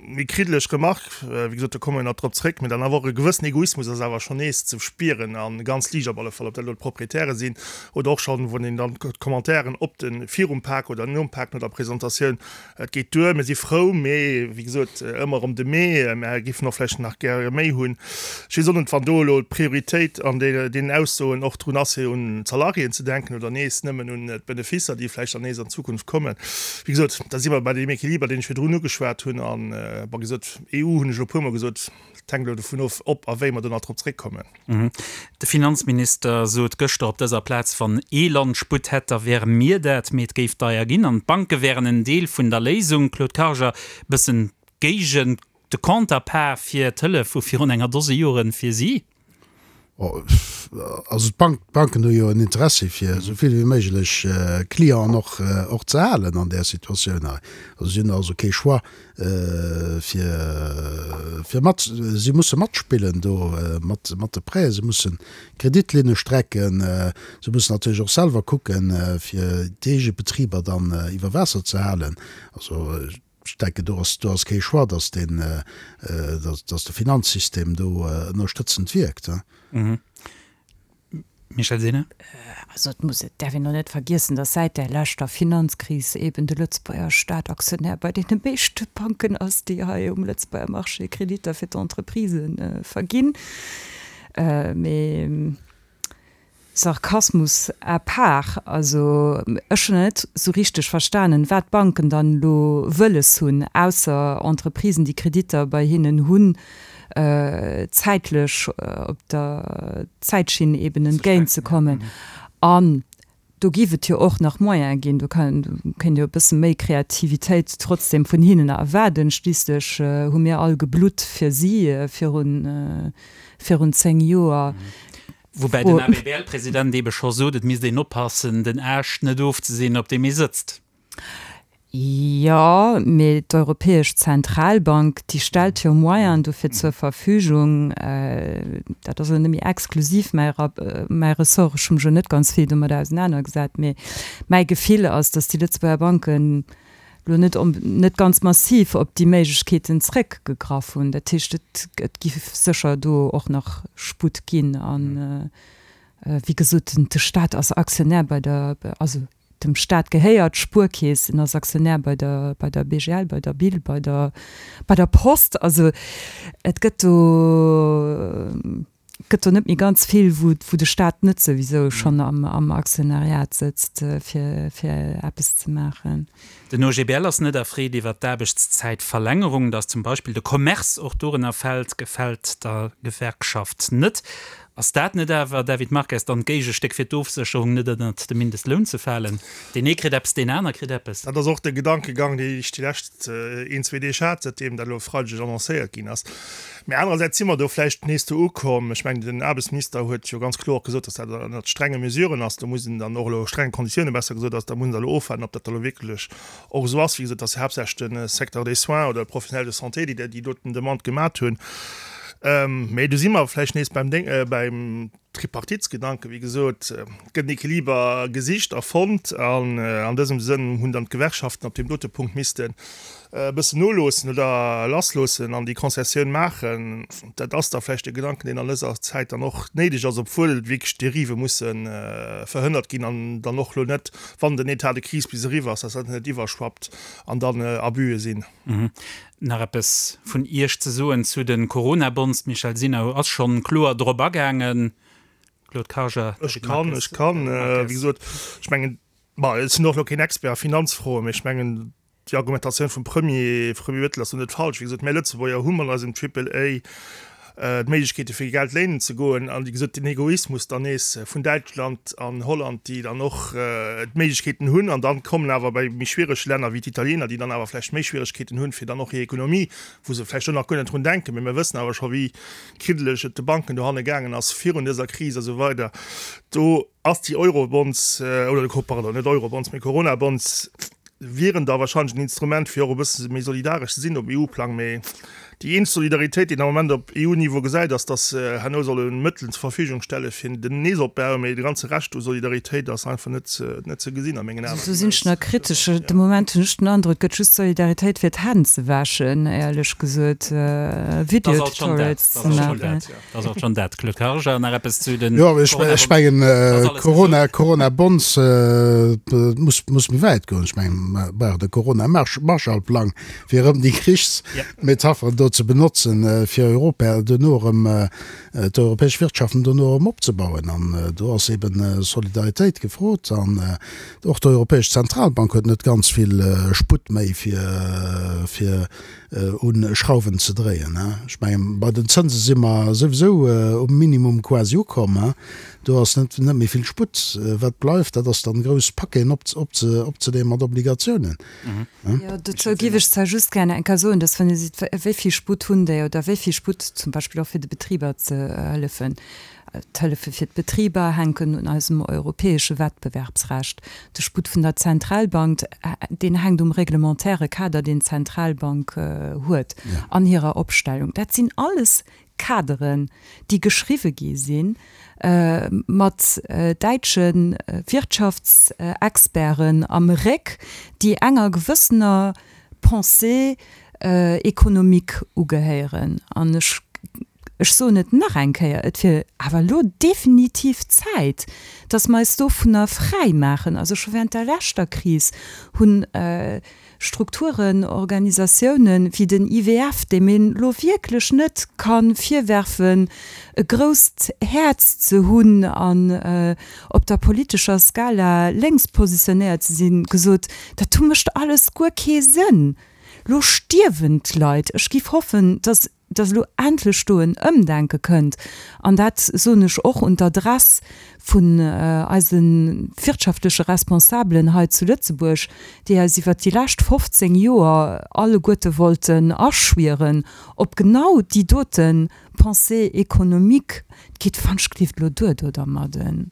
méi kriddeleg Remark, wéi gesot, do komme mer nach drop zréck, mee dann awer och e gewëssen Egoismus ass awer schonn nees ze spieren a ganz liicht op alle Fall, ob dat elo d'Proprietäre sinn oder och schonn, wann een dann d'Commentairen op de virum Pak oder nom Pak, no der Presentatioun, Et geet duer, mir si frou, mee wéi gesot, ëmmer erëm de Mee, mär géifen och vläicht nach gäre méi hunn. Ech weess och net, wann do elo d'Prioritéit an deenen Aussoen och drun ass, fir un d'Salariéen ze denken oder nees nëmmen un d'Benefisser, déi vläicht dann nees an Zukunft kommen. Wéi gesot, da si mer bei deem Equiliber, deen ech virdrun ugeschwat hunn. A bon, gesot, EU hunn ech elo e puermol gesot, et hänkt elo dovun of, ob a wéi mer do nach drop zréckkommen. De Finanzminister sot gëschter op dëser Plaz, wann ee Land Sputt hätt, da wäre mir dat, mee et géif deier ginn an d'Banke wären en Deel vun der Léisung. Claude Karger, Bëssen géigent de Counterpart fir d'Hëllef vu virun enger Dose Joren fir si? Also d'Banken hu jo en Interessi fir esou vill wéi méiglech Clienten och och ze halen an där Situatioun hei. Also si hunn also kee Choix fir fir mat, si musse matspillen do mat mat de Prêts, si mussen Kreditlinne strecken, si mussen natierlech och selwer kucken fir déi eege Betriber dann iwwer Waasser ze halen. Also ech denken do ass do ass kee Choix, datt deen, datt de Finanzsystem do ënnerstëtzend wierkt. Michèle Sinner. Also et muss, et däerf een och net vergiessen, datt säit där leschter Finanzkris eeben de Lëtzebuerger Staat Aktionär bei deene meeschte Banken ass, déi hei um Lëtzebuerger Marché Kreditter fir d'Entreprisë verginn. Mee Sarkasmus à part, also ech hunn nach net esou richteg verstanen, wat d'Banken dann elo wëlles hunn, ausser Entreprisen, déi Kreditter bei hinnen hunn, zäitlech op der Zäitschinn eben entgéint ze kommen. An do géif et jo och nach Moyene ginn, do kéint jo e bësse méi Kreativitéit trotzdem vun hinnen erwaarden. Schliisslech hu mir all geblutt fir si virun 10 Joer. Woubäi den ABBL-President eebe scho sot, et misst een oppassen, den Aascht net ofzesinn, op deem ee sëtzt. Jo, mee d'Europäesch Zentralbank, déi stellt jo Moyenen dofir zur Verfügung. Dat ass elo net méi exklusiv mäi mäi Ressort, ech hu mech elo net ganz vill domat ausenanergesat, mee mäi Gefill ass, datt déi Lëtzebuerger Banken elo net net ganz massiv op déi Méiglechkeeten zréckgegraff hunn. Dat heescht, et et gi sécher do och nach Sputt ginn. A wéi gesot, de Staat ass Aktionär bei der, also Dem Staat gehéiert d'Spuerkeess, en ass Aktionär bei der, bei der BGL, bei der BIL, bei der, bei der Post. Also et gëtt do, gëtt do net méi ganz vill, wou, wou de Staat net souwisou schonn am, am Aktionariat sëtzt, fir, fir eppes ze maachen. Den OGBL ass net erfreet iwwer d'Aarbechtszäitverlängerung. Datt zum Beispill de Commerce och dorënner fält, gefält der Gewerkschaft net. Ass dat net awer, David Marques, dann d'Géigestéck fir d'Ofsécherung net ënnert de Mindestloun ze falen? Deen ee kritt eppes, deen aner kritt eppes. Dat ass och de Gedankegang, deen ech déi lescht een, zwee Deeg hat, säitdeem dat elo e Freideg annoncéiert ginn ass. Mee anerersäits si mer do vläicht nees do ukomm. Ech mengen, den Aarbechtsminister huet jo ganz kloer och gesot, datt dat ënnert strenge Mesuren ass. Do muss een dann och elo, strenge Konditiounen besser gesot ass, da muss een da elo ofwaarden, ob dat da elo wierklech och esou ass. Wéi gesot, et ass jo haaptsächlech de Secteur des soins oder d'Professionnels de santé, déi déi doten Demande gemat hunn. Mee do si mer vläicht nees beim Déng, beim Tripartitsgedanken. Wéi gesot, et gëtt en Equiliber gesicht a fonnt an an dësem Sënn hunn dann d'Gewerkschaften op deem dote Punkt missten e bëssen noloossen oder lassloossen an déi Concessioun maachen. Dat ass da vläicht e Gedanken, deen an dëser Zäit dann och néideg ass, obwuel wierklech Derive musse verhënnert ginn an dann och elo net, wann den État de crise bis eriwwer ass, dass dat net iwwerschwappt an dann Abuse sinn. Nach eppes vun Iech ze soen zu de Coronabonds? D'Michèle Sinner ass schonn kloer drop agaangen. Claude Karger, Ech kann, ech kann. Wéi gesot, ech mengen, ma ech sinn och elo keen Expert a Finanzfroen, mee ech mengen, Déi Argumentatioun vum Premier, Premier Bettel ass do net falsch. Wéi gesot, mär Lëtzebuerger hu mat eisem Triple A d'Méiglechkeete fir Geld léinen ze goen. An wéi gesot, den Egoismus dann nees vun Däitschland an Holland, déi dann och d'Méiglechkeeten hunn. An dann kommen awer bei méi schwierege Länner wéi d'Italiener, déi dann awer vläicht méi Schwieregkeeten hunn, fir dann och hir Ekonomie, wou se vläicht och nach guer net drun denken, mee mir wëssen awer scho wéi kriddeleg et de Banken dohanne gaangen ass virun dëser Kris a sou weider. Do ass déi Eurobonds, oder pardon, net Eurobonds, mee Coronabonds, wieren da wahrscheinlech en Instrument, fir och e bësse méi solidaresch ze sinn op EU-Plang. Mee. Déi eenzeg Solidaritéit, déi een am Moment op EU-Niveau gesäit, ass, datt se herno solle Mëttelen zur Verfügung stelle fir den Neesopbau, mee de ganze Rescht u Solidaritéit ass einfach net ze gesinn a mengen Aen. Do sinn ech nach kritesch. De Moment hunn ech den Androck, et gëtt just Solidaritéit fir d'Hänn ze wäschen, éierlech gesot, Video-Tutorials ze maachen. Dat ass alt schonn dat. Claude Karger, nach eppes zu den Jo, ech mengen, Corona, Corona-Bonds muss, muss méi wäit goen. Ech mengen, mer brauchen e Corona-Marshallplang, fir erëm déi Krichsmetapheren do ze benotzen, fir Europa duerno erëm, d'europäesch Wirtschaften duerno erëm opzebauen. An do ass eben Solidaritéit gefrot. An och d'Europäesch Zentralbank huet net ganz vill Sputt méi, fir, fir u Schrauwen ze dréien. Ech mengen, bei den Zënse si mer souwisou um Minimum quasi ukomm. Do ass net méi vill Sputt. Wat bleift, dat ass dann grouss Paqueten opzeleeën mat Obligatiounen. Jo, dozou géif ech zwar just gären eng Kéier soen, dass, wann Dir seet, wéi vill Sputt hunn déi oder wéi vill Sputt zum Beispill och fir de Betriber ze hëllefen, D'Hëllefe fir d'Betriber hänken un eisem europäesche Wettbewerbsrecht. De Sputt vun der Zentralbank, deen hänkt um reglementaire Kader, deen d'Zentralbank huet an hirer Opstellung. Dat sinn alles Kaderen, déi geschriwwe gi si mat däitsche Wirtschaftsexperten am Réck, déi enger gewëssener Pensée économique ugehéieren. An ech Ech soen et nach eng Kéier, et wier awer elo definitiv Zäit, dass mer eis dovunner fräi maachen. Also scho während der leschter Kris hunn Strukturen, Organisatiounen wéi den IWF, deem een elo wierklech net ka virwerfen, e grousst Häerz ze hunn an op der politescher Skala lénks positionéiert ze sinn, gesot, dat do mécht alles guer kee Sënn, lo stierwen d'Leit. Ech giff hoffen, dass dass elo endlech do en Ëmdenke kënnt, an dat soen ech och un d'Adress vun eise wirtschaftleche Responsabelen hei zu Lëtzebuerg, déi eis iwwert déi lescht 15 Joer alleguerte wollten aschwieren op genau déi dote Pensée économique, et geet fanschglift elo duer do dermadden.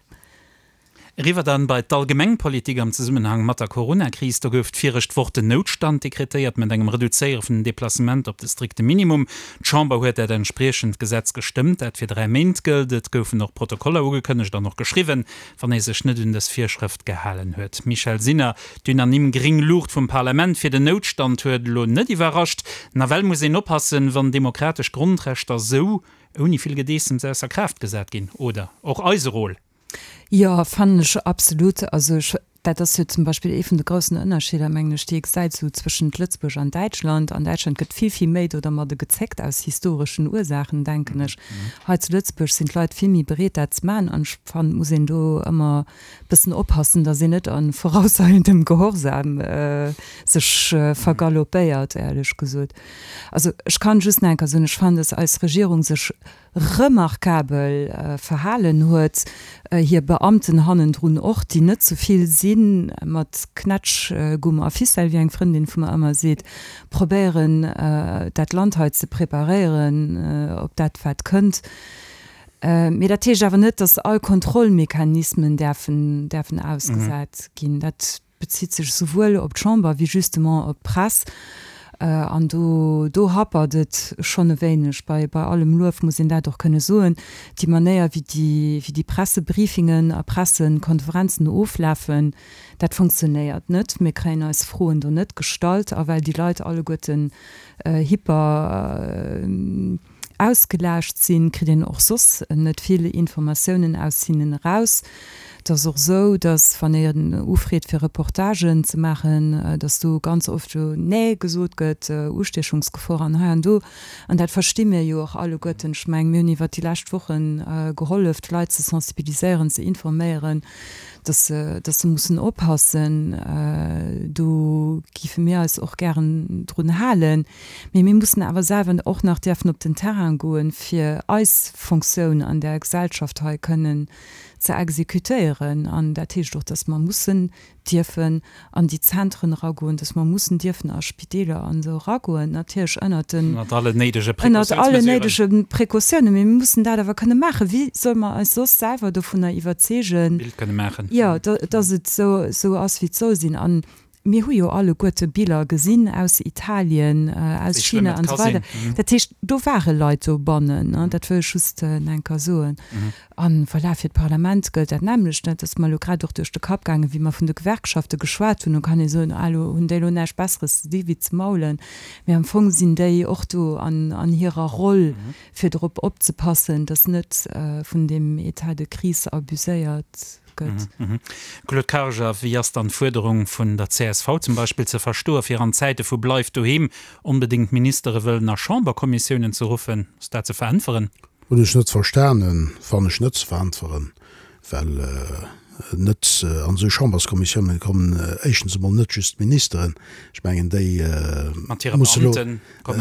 Eriwwer dann bei d'Allgemengpolitik am Zesummenhang mat der Corona-Kris. Do gouf d'virescht Woch den Noutstand dekretéiert, mat engem Reduzéiere vun den Deplacementer op de strikte Minimum. D'Chamber huet dat entspriechend Gesetz gestëmmt, dat fir 3 Méint gëllt. Et goufen och Protokoller ugekënnegt an och geschriwwen, wann ee sech net un dës Virschrëft gehalen huet. Michèle Sinner, D'unanime gréng Luucht vum Parlament fir den Noutstand huet elo net iwwerrascht. Nawell muss een oppassen, wann demokratesch Grondrechter sou ouni vill Gedeessems ausser Kraaft gesat ginn, oder? Och eise Rôle. Jo, fannen ech absolut. Also ech, dat ass jo zum Beispill ee vun de groussen Ënnerscheeder, mengen ech, déi ee gesäit esou zwëschent Lëtzebuerg an Däitschland. An Däitschland gëtt vill, vill méi do dermadde gezéckt, aus historeschen Ursaachen, denken ech. Hei zu Lëtzebuerg sinn d'Leit vill méi bereet, dat ze maachen. An ech fannen, et muss een do ëmmer e bëssen oppassen, datt een net a vorauseilendem Gehorsam sech vergaloppéiert, éierlech gesot. Also ech kann just nach eng Kéier soen, ech fannen, datt eis Regierung sech remarkabel verhalen huet, hir Beamten hannendrun och, déi net zu vill sinn, mat Knätschgumm a Ficelle, wéi eng Frëndin vu mer ëmmer seet, probéieren dat Land hei ze preparéieren op dat wat kënnt. Mee dat heescht awer net, datt all Kontrollmechanismen däerfen däerfen ausgesat ginn. Dat bezitt sech esouwuel op d'Chamber wéi justement op d'Press. An do, do happert et schonn e wéineg. Bei, bei allem Luef muss een dat och kënne soen, déi Manéier, wéi déi, wéi déi Pressebriefingen a Pressekonferenzen oflafen, dat funktionéiert net. Mir kréien eis Froen do net gestallt. A well déi Leit alleguerten hyper, Ausgelaascht sinn, kritt een och soss net vill Informatiounen aus hinnen eraus. Et ass och esou, datt wann een ufreet fir Reportagen ze maachen, datt do ganz oft jo Nee gesot gëtt, Ustiechungsgefor an hei an do. An dat versti mir jo och alleguerten. Ech mengen, mir hunn iwwert déi lescht Woche gehollef, d'Leit ze sensibiliséieren, ze informéieren, datt se, datt se mussen oppassen. Do géife mir eis och gären drun halen. Mee mir mussen awer selwer och nach däerfen op den Terrain goen, fir eis Fonctioun an där Gesellschaft hei kënnen ze exekutéieren. An dat heescht och, dass mer mussen dierfen an déi Zentren eragoen, dass mer mussen dierfen a Spideeler an esou eragoen, natierlech ënnert den, Ënnert allen néidege ënnert allen néidege Precautiounen. Mee mir mussen dat awer kënne maachen. Wéi solle mer eis soss selwer dovunner iwwerzeegen, Bild kënne maachen. jo, dass et esou ass, wéi et soll sinn? An. Mir hu jo alleguerte Biller gesinn aus Italien, aus China an esou weider. Dat heescht, do ware Leit dobannen, dat wëll ech just eng Kéier soen. An voilà, fir d'Parlament gëllt dat nämmlecht. Dat ass mer elo grad och duerch de Kapp gaangen, wéi mer vun de Gewerkschafte geschwat hunn. Do kann ee soen, ah elo hunn déi elo näischt Besseres ze di wéi ze maulen. Mee am Fong sinn déi och do an hirer Roll, fir drop opzepassen, datt net vun deem État de crise abuséiert gëtt. Claude Karger, Wéi ass dann d'Fuerderung vun der csv zum Beispill ze verstoen, fir an Zäite vu Bleift doheem onbedéngt Ministere wëllen a Chamberkommissiounen ze ruffen? Ass dat ze veräntweren? Hunn ech net verstanen, fannen ech net ze veräntweren, well net an esou Chamberskommissiounen kommen éischtens emol net just d'Ministeren, ech mengen déi musse elo,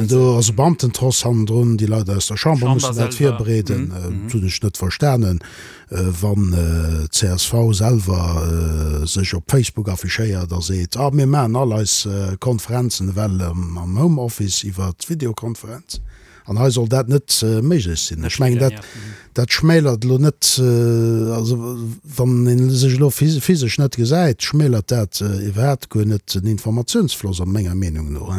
do ass e Beamtentross hannendrun, déi Leit aus der Chamber mussen dat virbereeden. Dat hunn ech net verstanen, wann d'CSV selwer sech op Facebook affichéiert a seet, ah mir maachen all eis Konferenzen ewell am Homeoffice iwwer Videokonferenz. An hei soll dat net méiglech sinn. Ech mengen, dat, dat schmälert elo net, also wann ee sech elo physesch net gesäit, schmälert dat iwwerhaapt guer net den Informatiounsfloss a menger Meenung no.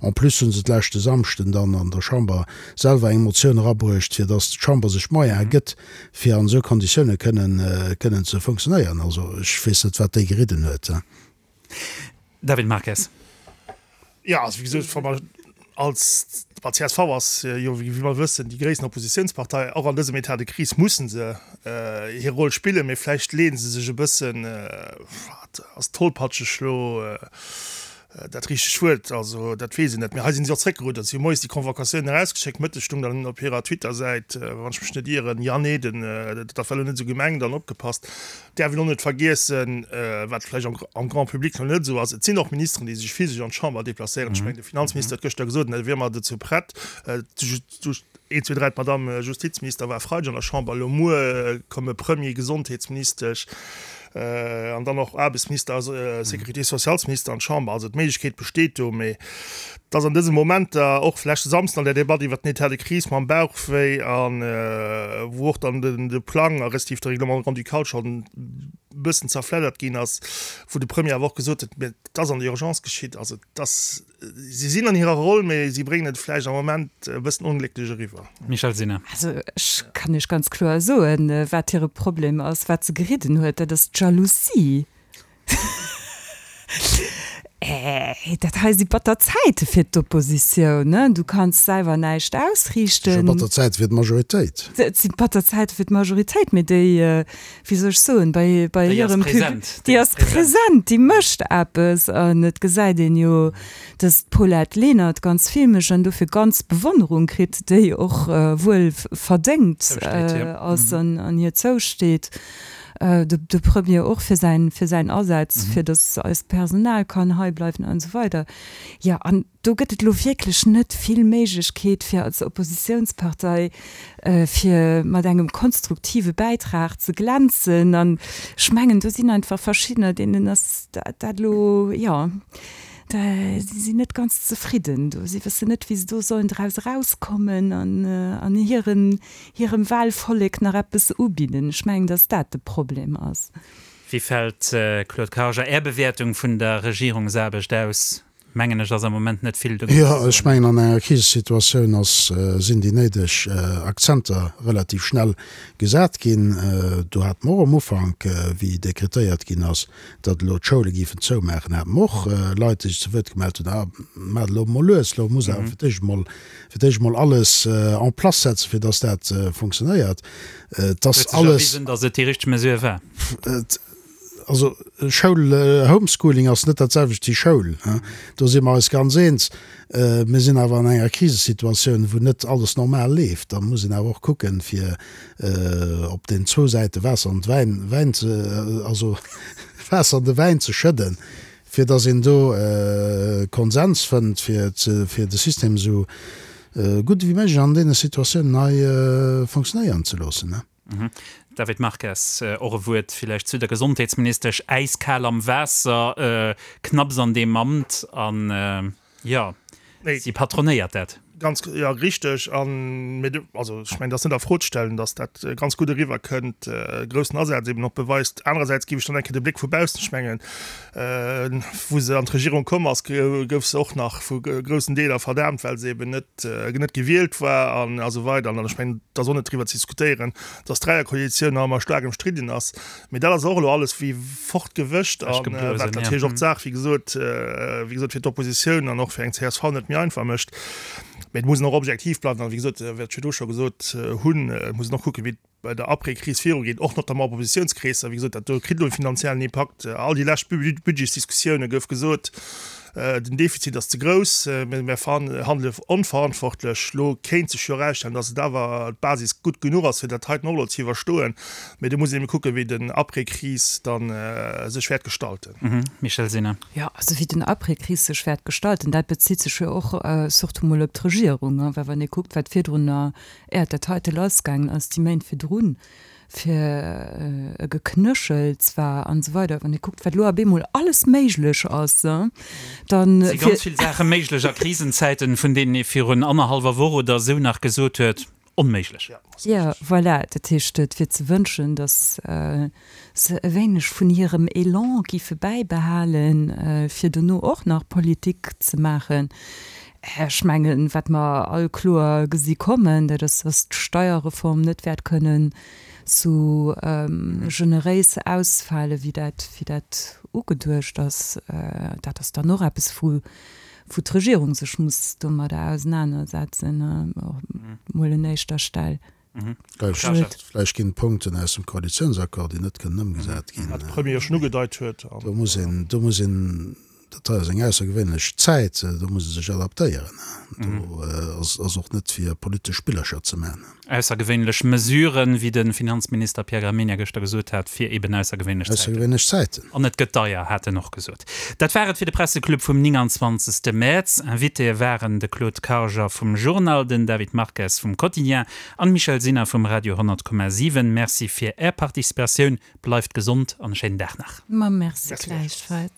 En plus hu se d'leschte Samschden dann an der Chamber selwer eng Motioun erabruecht, fir datt d'Chamber sech d'Moyene gëtt, fir an esou Konditioune kënnen, kënnen ze funktionéieren. Also ech weess net, wat déi geridden huet. David Marques. Jo, also wéi gesot, wa mer als, well csv ass jo, wéi mer wëssen, déi gréissten Oppositionspartei, och an dësem État de crise mussen se hir Roll spillen, mee vläicht leeë se sech e bëssen, wat ass tollpatscheg elo dat richtegt Wuert, also dat weess een net, mee hei sinn si och zréckgeruddert. Si hu moies déi Convocatioun erausgeschéckt, mëttes stung dann op hirer Twitter-Säit, wann ech mech net ieren, Jan Eden, dat war elo net esou gemengt an opgepasst. Däerf een och net vergiessen, wat vläicht am Grand public nach net esou ass, et sinn och Ministeren, déi sech physesch an d'Chamber deplacéieren. Ech mengen, de Finanzminister huet gëschter gesot, e wier ëmmer dozou prett. Een, zwee, dräi, d'Madamm Justizminister war e Freideg an der Chamber, elo muer komme Premier, Gesondheetsministesch an dann och Aarbechtsminister a Sécurité-socialesminister an d'Chamber. Also d'Méiglechkeet besteet do, mee Et ass an dëse Momenter, och leschte Samsden an der Debatt iwwert den État de crise mam Bauchwéi a wou och dann de Plang a respektiv de Règlement grand-ducal schonn e bëssen zerfleddert ginn ass, wou de Premier awer och gesot huet, mä et ass an der Urgence geschitt. Also et ass, si sinn an hirer Roll, mä si bréngen et vläicht am Moment e bëssen onglécklech eriwwer. Michèle Sinner. Also ech kann Iech ganz kloer soen, wat hire Problem ass, wat se geridden huet, dat ass d'Jalousie. Dat hei si batter Zäite fir d'Oppositioun, ne? Du kanns selwer näischt ausriichten. Et si batter Zäite fir d'Majoritéit. Et si batter Zäite fir d'Majoritéit, mee déi, wéi soll ech soen, bei, bei hirem Public, déi ass present, déi mécht eppes. An et gesäit een jo, dass d'Paulette Lenert ganz vill mécht an dofir ganz Bewonnerung kritt, déi och wuel verdéngt ass an hir zousteet. De Premier och fir säin, fir säin Asaz, fir datt eist Personal kann hei bleiwen an esou weider. Jo, an do gëtt et elo wierklech net vill Méiglechkeet fir als Oppositionspartei, fir mat engem konstruktive Bäitrag ze glänzen. An ech mengen, do sinn einfach verschiddener, deenen ass dat elo, jo, si sinn net ganz zefridden do. Si wëssen net, wéi se do sollen draus erauskommen an an hiren hirem Wahlvollek nach eppes ubidden. Ech mengen, dass dat de Problem ass. Wéi fält, Claude Karger, Är Bewäertung vun der Regierungsaarbecht aus? Mengen ech, ass am Moment net vill dogéint ze soen. Jo, ech mengen, an enger Krisesituatioun ass, sinn déi néideg Akzenter relativ schnell gesat ginn. Do hate mer och am Ufank, wéi dekretéiert ginn ass, datt elo d'Schoule géifen zoumaachen, hate mer och Leit, déi sech zu Wuert gemellt hunn, Ah, maacht elo emol lues, elo muss awer fir d'éischt emol fir d'éischt emol alles en place setzen, fir dass dat funktionéiert. Et ass alles. Huet sech erwisen, dass et déi richteg Mesure war? Also Schoul, Homeschooling ass net dat selwecht wéi Schoul, do si mer eis ganz eens. Mir sinn awer an enger Krisesituatioun, wou net alles normal leeft. Da muss een awer och kucken, fir op den zwou Säite Waasser an Wäin, Wäin ze, also Waasser an de Wäin ze schëdden, fir datt een do Konsens fënnt, fir de System esou gutt ewéi méiglech an deene Situatiounen hei funktionéieren ze loossen. David Marques, och e Wuert villäicht zu der Gesondheetsministesch, äiskal am Waasser, knapps an deem Amt an, jo, si patronéiert dat. Ganz, jo, richteg. An, mee do, also ech mengen, dat ass net a Fro ze stellen, datt dat ganz gutt eriwwer kënnt, groussen Asaz eben och beweist. Anerersäits géif ech dann eng Kéier de Bléck vu baussen, ech mengen, wou se an d'Regierung komm ass, gouf se och nach vu groussen Deeler verdaamt, well se eben net, net gewielt war an a sou weider. An ech mengen, et ass och net driwwer ze diskutéieren, datt d'Dräierkoalitioun nach ëmmer staark ëmstridden ass. Mee dat ass och elo alles wéi fortgewëscht a wat natierlech och d'Saach, wéi gesot, wéi gesot, fir d'Oppositioun an och fir eng csv net méi einfach mécht. Mee et muss een och objektiv bleiwen an, wéi gesot, wat ech virdru scho gesot hunn, et muss een och kucken, wéi et bei der Après-Kris virugeet, och notamment op Oppositiounskreesser. Wéi gesot, dat do kritt elo e finanziellen Impakt. All déi lescht Budgetsdiskussioune gouf gesot, Den Defizit ass ze grouss, mir handele onverantwortlech. Elo kéint sech jo erausstellen, datt et awer d'Basis gutt genuch ass, fir dat heiten och elo ze iwwerstoen. Mee do muss een ebe kucken, wéi den Après-Kris da sech wäert gestalten. Michèle Sinner. Jo, also wéi den Après-Kris sech wäert gestalten, dat bezitt sech jo och surtout mol op d'Regierung. Well wann ee kuckt, wat virdrun, äert dat heite lassgaangen ass, déi Méint virdrun, fir e Geknéchels war an esou weider, wann ee kuckt, wat elo op eemol alles méiglech ass, dann. Et si ganz vill Saache méiglech a Krisenzäiten, vun deenen ee virun annerhallwer Woch oder esou nach gesot huet, onméiglech. Jo, voilà. Dat heescht, et wier ze wënschen, datt se e wéineg vun hirem Elan géife bäibehalen, fir dono och nach Politik ze maachen. Ech mengen, wat mer all kloer gesi kommen, dat ass, datt d'Steierreform net wäert kënnen esou generéis ausfale wéi dat, wéi dat ugeduecht ass. Dat ass dann och eppes, wou, wou d'Regierung sech muss domadder ausenanersetzen, mol un éischter Stell. Vläicht ginn et Punkten aus dem Koalitiounsaccord, déi net kënnen ëmgesat ginn. Wat de Premier jo schonn ugedeit huet. Do muss een, do muss een, dat hei ass eng aussergewéinlech Zäit, do muss ee sech adaptéieren. Do ass och net fir politesch Spillercher ze man. Aussergewéinlech Mesuren, wéi de Finanzminister Pierre Gramegna gëschter gesot hat, fir eben aussergewéinlech Zäiten. Aussergewéinlech Zäiten. An et gëtt deier, hat en och gesot. Dat war et fir de Presseclub vum 29. Mäerz. Invitéë waren de Claude Karger vum Journal, den David Marques vum Quotidien an d'Michèle Sinner vum Radio 100,7. Merci fir Är Participatioun, bleift gesond an e schéinen Dag nach. Ma merci gläichfalls.